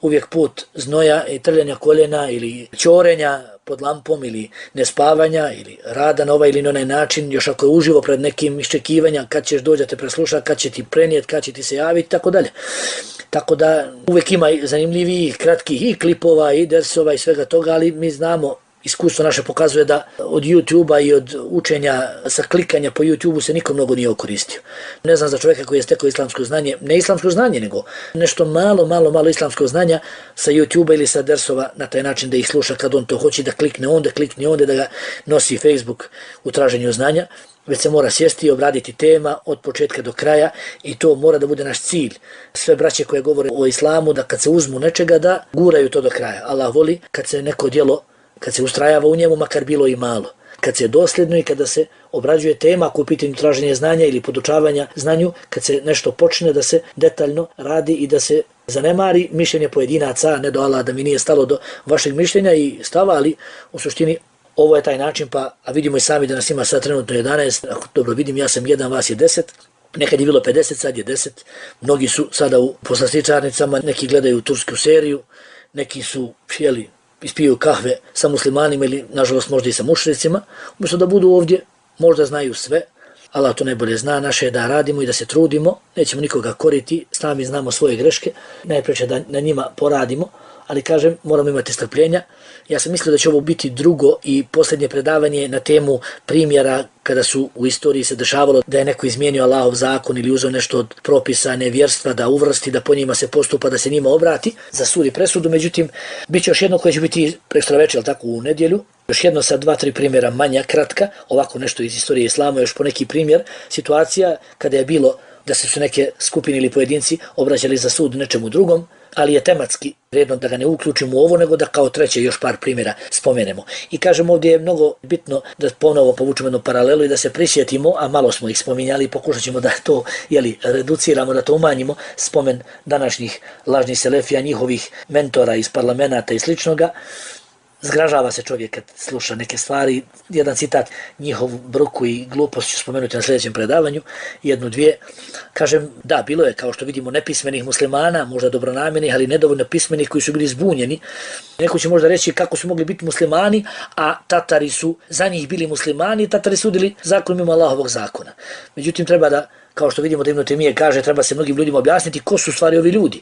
uvijek put znoja i trljanja koljena ili ćorenja pod lampom ili nespavanja ili rada na ovaj ili na onaj način, još ako je uživo pred nekim iščekivanja kad ćeš doći da te presluša, kad će ti prenijeti, kad će ti se javiti, tako dalje. Tako da uvijek ima zanimljivih, kratkih i klipova i dersova i svega toga, ali mi znamo, iskustvo naše pokazuje da od YouTube-a i od učenja sa klikanja po YouTube-u se nikom mnogo nije okoristio. Ne znam za čovjeka koji je stekao islamsko znanje, ne islamsko znanje, nego nešto malo islamsko znanja sa YouTube-a ili sa dersova na taj način da ih sluša kad on to hoće, da klikne onda, da ga nosi Facebook u traženju znanja, već se mora sjesti i obraditi tema od početka do kraja i to mora da bude naš cilj. Sve braće koje govore o islamu, da kad se uzmu nečega da guraju to do kraja. Allah voli kad se neko djelo, kad se ustrajava u njemu, makar bilo i malo. Kad se je dosljedno i kada se obrađuje tema ako u pitanju traženja znanja ili podučavanja znanju, kad se nešto počne da se detaljno radi i da se zanemari mišljenje pojedinaca, ne do Allah da mi nije stalo do vašeg mišljenja i stava, ali u suštini ovo je taj način, a vidimo i sami da nas ima sad trenutno 11, ako dobro vidim, ja sam 1, vas je 10, nekad je bilo 50, sad je 10, mnogi su sada u poslastičarnicama, neki gledaju tursku seriju, neki su, ispiju kahve sa muslimanima ili nažalost možda i sa mušricima, umjesto da budu ovdje, možda znaju sve, Allah to najbolje zna, naše je da radimo i da se trudimo, nećemo nikoga koriti, sami znamo svoje greške, najpreće da na njima poradimo, ali kažem, moramo imati strpljenja. Ja sam mislio da će ovo biti drugo i posljednje predavanje na temu primjera kada su u istoriji se dešavalo da je neko izmijenio Allahov zakon ili uzeo nešto od propisa nevjerstva da uvrsti, da po njima se postupa, da se njima obrati za sud i presudu. Međutim, bit će još jedno koje će biti prekstra večer, ali tako u nedjelju. Još jedno sa 2-3 primjera manja, kratka, ovako nešto iz istorije islama, još po neki primjer, situacija kada je bilo da se su neke skupine ili pojedinci obraćali za sud nečemu drugom, ali je tematski redno da ga ne uključimo u ovo, nego da kao treće još par primjera spomenemo. I kažem, ovdje je mnogo bitno da ponovo povučemo jednu paralelu i da se prisjetimo, a malo smo ih spominjali, pokušat ćemo da to reduciramo, da to umanjimo, spomen današnjih lažnih selefija, njihovih mentora iz parlamenta i sličnoga. Zgražava se čovjek kad sluša neke stvari. Jedan citat, njihov bruku i glupost ću spomenuti na sljedećem predavanju, 1-2. Kažem, da, bilo je, kao što vidimo, nepismenih muslimana, možda dobronamjernih, ali nedovoljno pismenih koji su bili zbunjeni. Neko će možda reći kako su mogli biti muslimani, a Tatari su za njih bili muslimani, Tatari sudili zakon mimo Allahovog zakona. Međutim, treba da, kao što vidimo da Ibn Temije kaže, treba se mnogim ljudima objasniti ko su stvari ovi ljudi.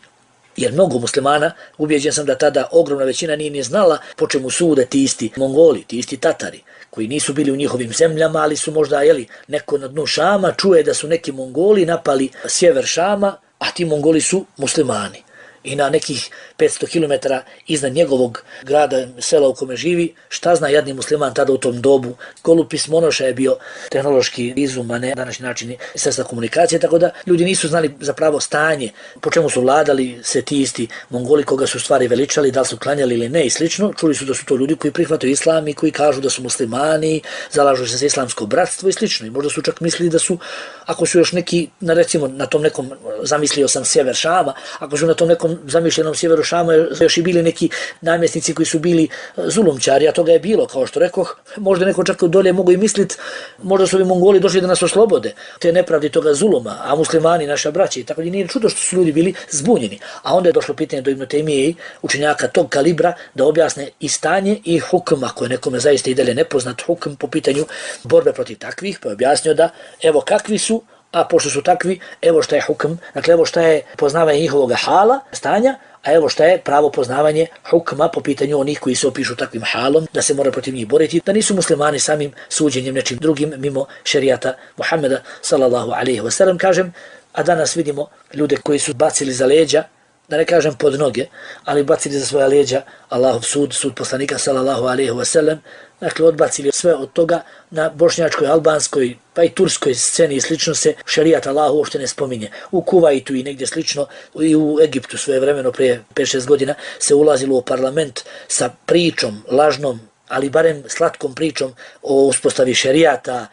Jer mnogo muslimana, ubijeđen sam da tada ogromna većina nije ni znala po čemu sude ti isti Mongoli, ti isti Tatari, koji nisu bili u njihovim zemljama, ali su možda, neko na dnu Šama čuje da su neki Mongoli napali sjever Šama, a ti Mongoli su muslimani. I na nekih 500 km iznad njegovog grada, sela u kome živi, šta zna jadni musliman tada u tom dobu. Golupis Monoša je bio tehnološki izum, a ne današnji način sredstva komunikacije, tako da ljudi nisu znali zapravo stanje, po čemu su vladali se ti isti Mongoli, koga su stvari veličali, da li su klanjali ili ne i slično. Čuli su da su to ljudi koji prihvataju islam i koji kažu da su muslimani, zalažu se za islamsko bratstvo i slično. I možda su čak mislili da su, ako su još neki, recimo na tom nekom, zamislio sam sjever Šama, ako su na tom nekom zamišljenom sjeveru Šama još i bili neki namjesnici koji su bili zulumčari, a toga je bilo, kao što rekoh, možda neko čak dolje mogu i misliti, možda su ovi Mongoli došli da nas oslobode te nepravdi toga zuluma, a muslimani, naša braća, i tako nije čudo što su ljudi bili zbunjeni. A onda je došlo pitanje do Ibn Temije, učenjaka tog kalibra, da objasne i stanje i hukm, ako je nekome zaista i dalje nepoznat hukm po pitanju borbe protiv takvih, pa je objasnio da evo kakvi su, a pošto su takvi, evo šta je hukm, dakle evo šta je poznavanje njihovog hala, stanja, a evo šta je pravo poznavanje hukma po pitanju onih koji se opišu takvim halom, da se mora protiv njih boriti, da nisu muslimani samim suđenjem nečim drugim mimo šerijata Muhammeda sallallahu alaihi wa sallam, kažem, a danas vidimo ljude koji su bacili za leđa, da ne kažem pod noge, ali bacili za svoja leđa Allahov sud, sud poslanika sallallahu alaihi wa sallam, dakle odbacili sve od toga na bošnjačkoj, albanskoj, pa i turskoj sceni i slično se šerijat Allahu uopšte ne spominje. U Kuvajtu i negdje slično, i u Egiptu svojevremeno prije 5-6 godina se ulazilo u parlament sa pričom, lažnom, ali barem slatkom pričom o uspostavi šerijata,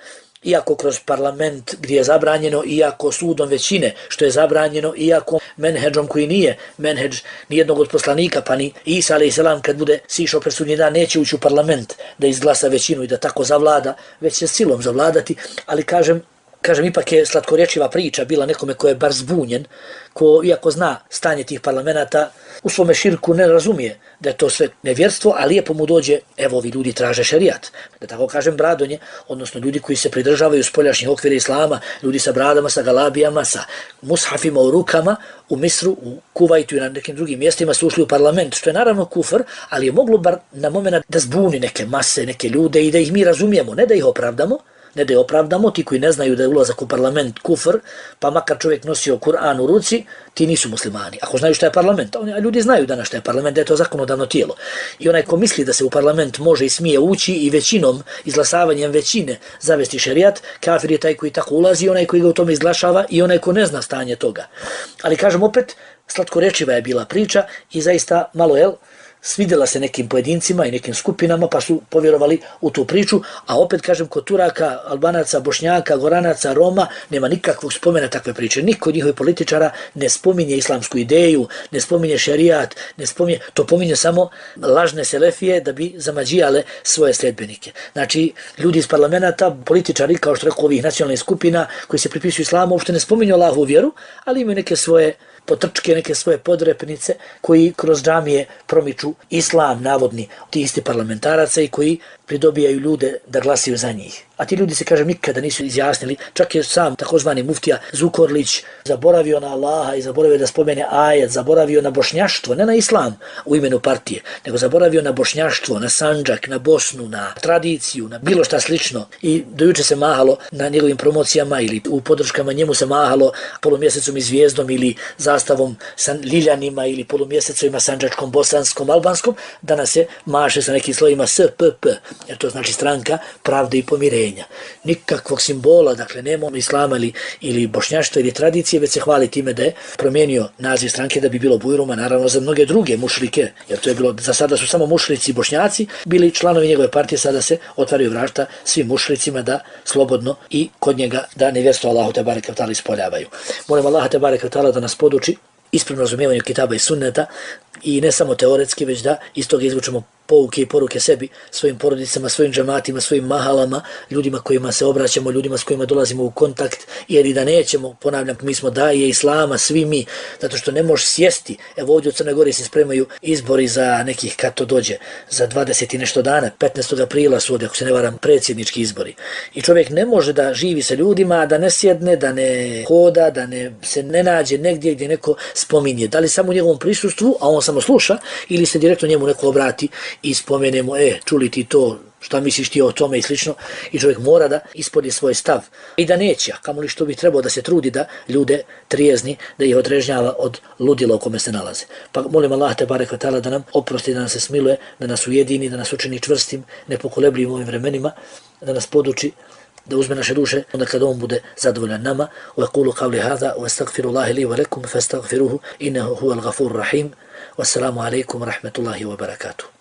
iako kroz parlament gdje je zabranjeno, iako sudom većine što je zabranjeno, iako menheđom koji nije menheđ nijednog od poslanika, pa ni Isa a.s. kad bude sišao pred sudnji dan neće ući u parlament da izglasa većinu i da tako zavlada, već će silom zavladati, ali kažem, ipak je slatkorječiva priča bila nekome ko je bar zbunjen, ko iako zna stanje tih parlamenta, u svome širku ne razumije da je to sve nevjerstvo, a lijepo mu dođe, evo ovi ljudi traže šerijat. Da tako kažem bradonje, odnosno ljudi koji se pridržavaju spoljašnjih okvira islama, ljudi sa bradama, sa galabijama, sa mushafima u rukama, u Misru, u Kuvajtu i na nekim drugim mjestima su ušli u parlament, što je naravno kufr, ali je moglo bar na moment da zbuni neke mase, neke ljude i da ih mi razumijemo, ne da ih opravdamo, ti koji ne znaju da je ulazak u parlament kufr, pa makar čovjek nosio Kur'an u ruci, ti nisu muslimani. Ako znaju šta je parlament, a ljudi znaju danas šta je parlament, da je to zakonodavno tijelo. I onaj ko misli da se u parlament može i smije ući i većinom, izglasavanjem većine zavesti šerijat, kafir je taj koji tako ulazi, onaj koji ga u tome izglašava i onaj ko ne zna stanje toga. Ali kažem opet, slatkorečiva je bila priča i zaista malo svidjela se nekim pojedincima i nekim skupinama pa su povjerovali u tu priču, a opet kažem kod Turaka, Albanaca, Bošnjaka, Goranaca, Roma nema nikakvog spomena takve priče. Niko od njihovih političara ne spominje islamsku ideju, ne spominje šerijat, to pominje samo lažne selefije da bi zamađijale svoje sljedbenike. Znači, ljudi iz parlamenta, političari, kao što rekao ovih nacionalnih skupina koji se pripisuju islamu, uopšte ne spominju Allahovu vjeru, ali imaju neke svoje potrčke, neke svoje podrepnice koji kroz džamije promiču islam navodni, ti isti parlamentaraca i koji pridobijaju ljude da glasaju za njih. A ti ljudi se, kažem, nikada nisu izjasnili. Čak je sam takozvani muftija Zukorlić zaboravio na Allaha i zaboravio da spomene ajet, zaboravio na bošnjaštvo, ne na islam u imenu partije, nego zaboravio na bošnjaštvo, na Sandžak, na Bosnu, na tradiciju, na bilo šta slično. I dojuče se mahalo na njegovim promocijama ili u podrškama njemu se mahalo polumjesecom i zvijezdom ili zastavom sa Liljanima ili polumjesecovima Sandžačkom, Bosanskom, Albanskom. Danas se maše sa nekim slovima SPP, jer to znači stranka pravde i pomirenja. Nikakvog simbola, dakle nema islama ili bošnjaštva ili tradicije, već se hvali time da je promijenio naziv stranke da bi bilo bujruma, naravno za mnoge druge mušrike, jer to je bilo, za sada su samo mušrici i bošnjaci bili članovi njegove partije, sada se otvaraju vrata svim mušricima da slobodno i kod njega da nevjerstvo Allahu te bareke ve taala ispoljavaju. Molim Allaha te bareke ve taala da nas poduči ispravnom razumijevanju kitaba i sunneta i ne samo teoretski, već da iz toga izvučemo pouke i poruke sebi, svojim porodicama, svojim džematima, svojim mahalama, ljudima kojima se obraćamo, ljudima s kojima dolazimo u kontakt, jer i da nećemo, ponavljam, mi smo daje islama, svi mi, zato što ne možeš sjesti. Evo ovdje u Crnoj Gori se spremaju izbori za nekih, kad to dođe, za 20 i nešto dana, 15. aprila su ovdje, ako se ne varam, predsjednički izbori. I čovjek ne može da živi sa ljudima, da ne sjedne, da ne hoda, da se ne nađe negdje gdje neko spominje. Da li samo u njegovom prisustvu, a on samo sluša, ili se direktno njemu neko obrati i spomenemo, čuli ti to, šta misliš ti o tome i slično, i čovjek mora da ispolji svoj stav. I da neće, a kamoli što bi trebao da se trudi da ljude trijezni, da ih odrežnjava od ludila u kome se nalaze. Pa molim Allah te bareke ve taala da nam oprosti, da nas se smiluje, da nas ujedini, da nas učini čvrstim, nepokolebljivim u ovim vremenima, da nas poduči, da uzme naše duše, onda kada on bude zadovoljan nama. Wa qulu qawli hadha wa astaghfirullaha li wa lakum fastaghfiruhu innahu huwal ghafurur rahim. Wassalamu alaikum wa rahmatullahi wa barakatuh.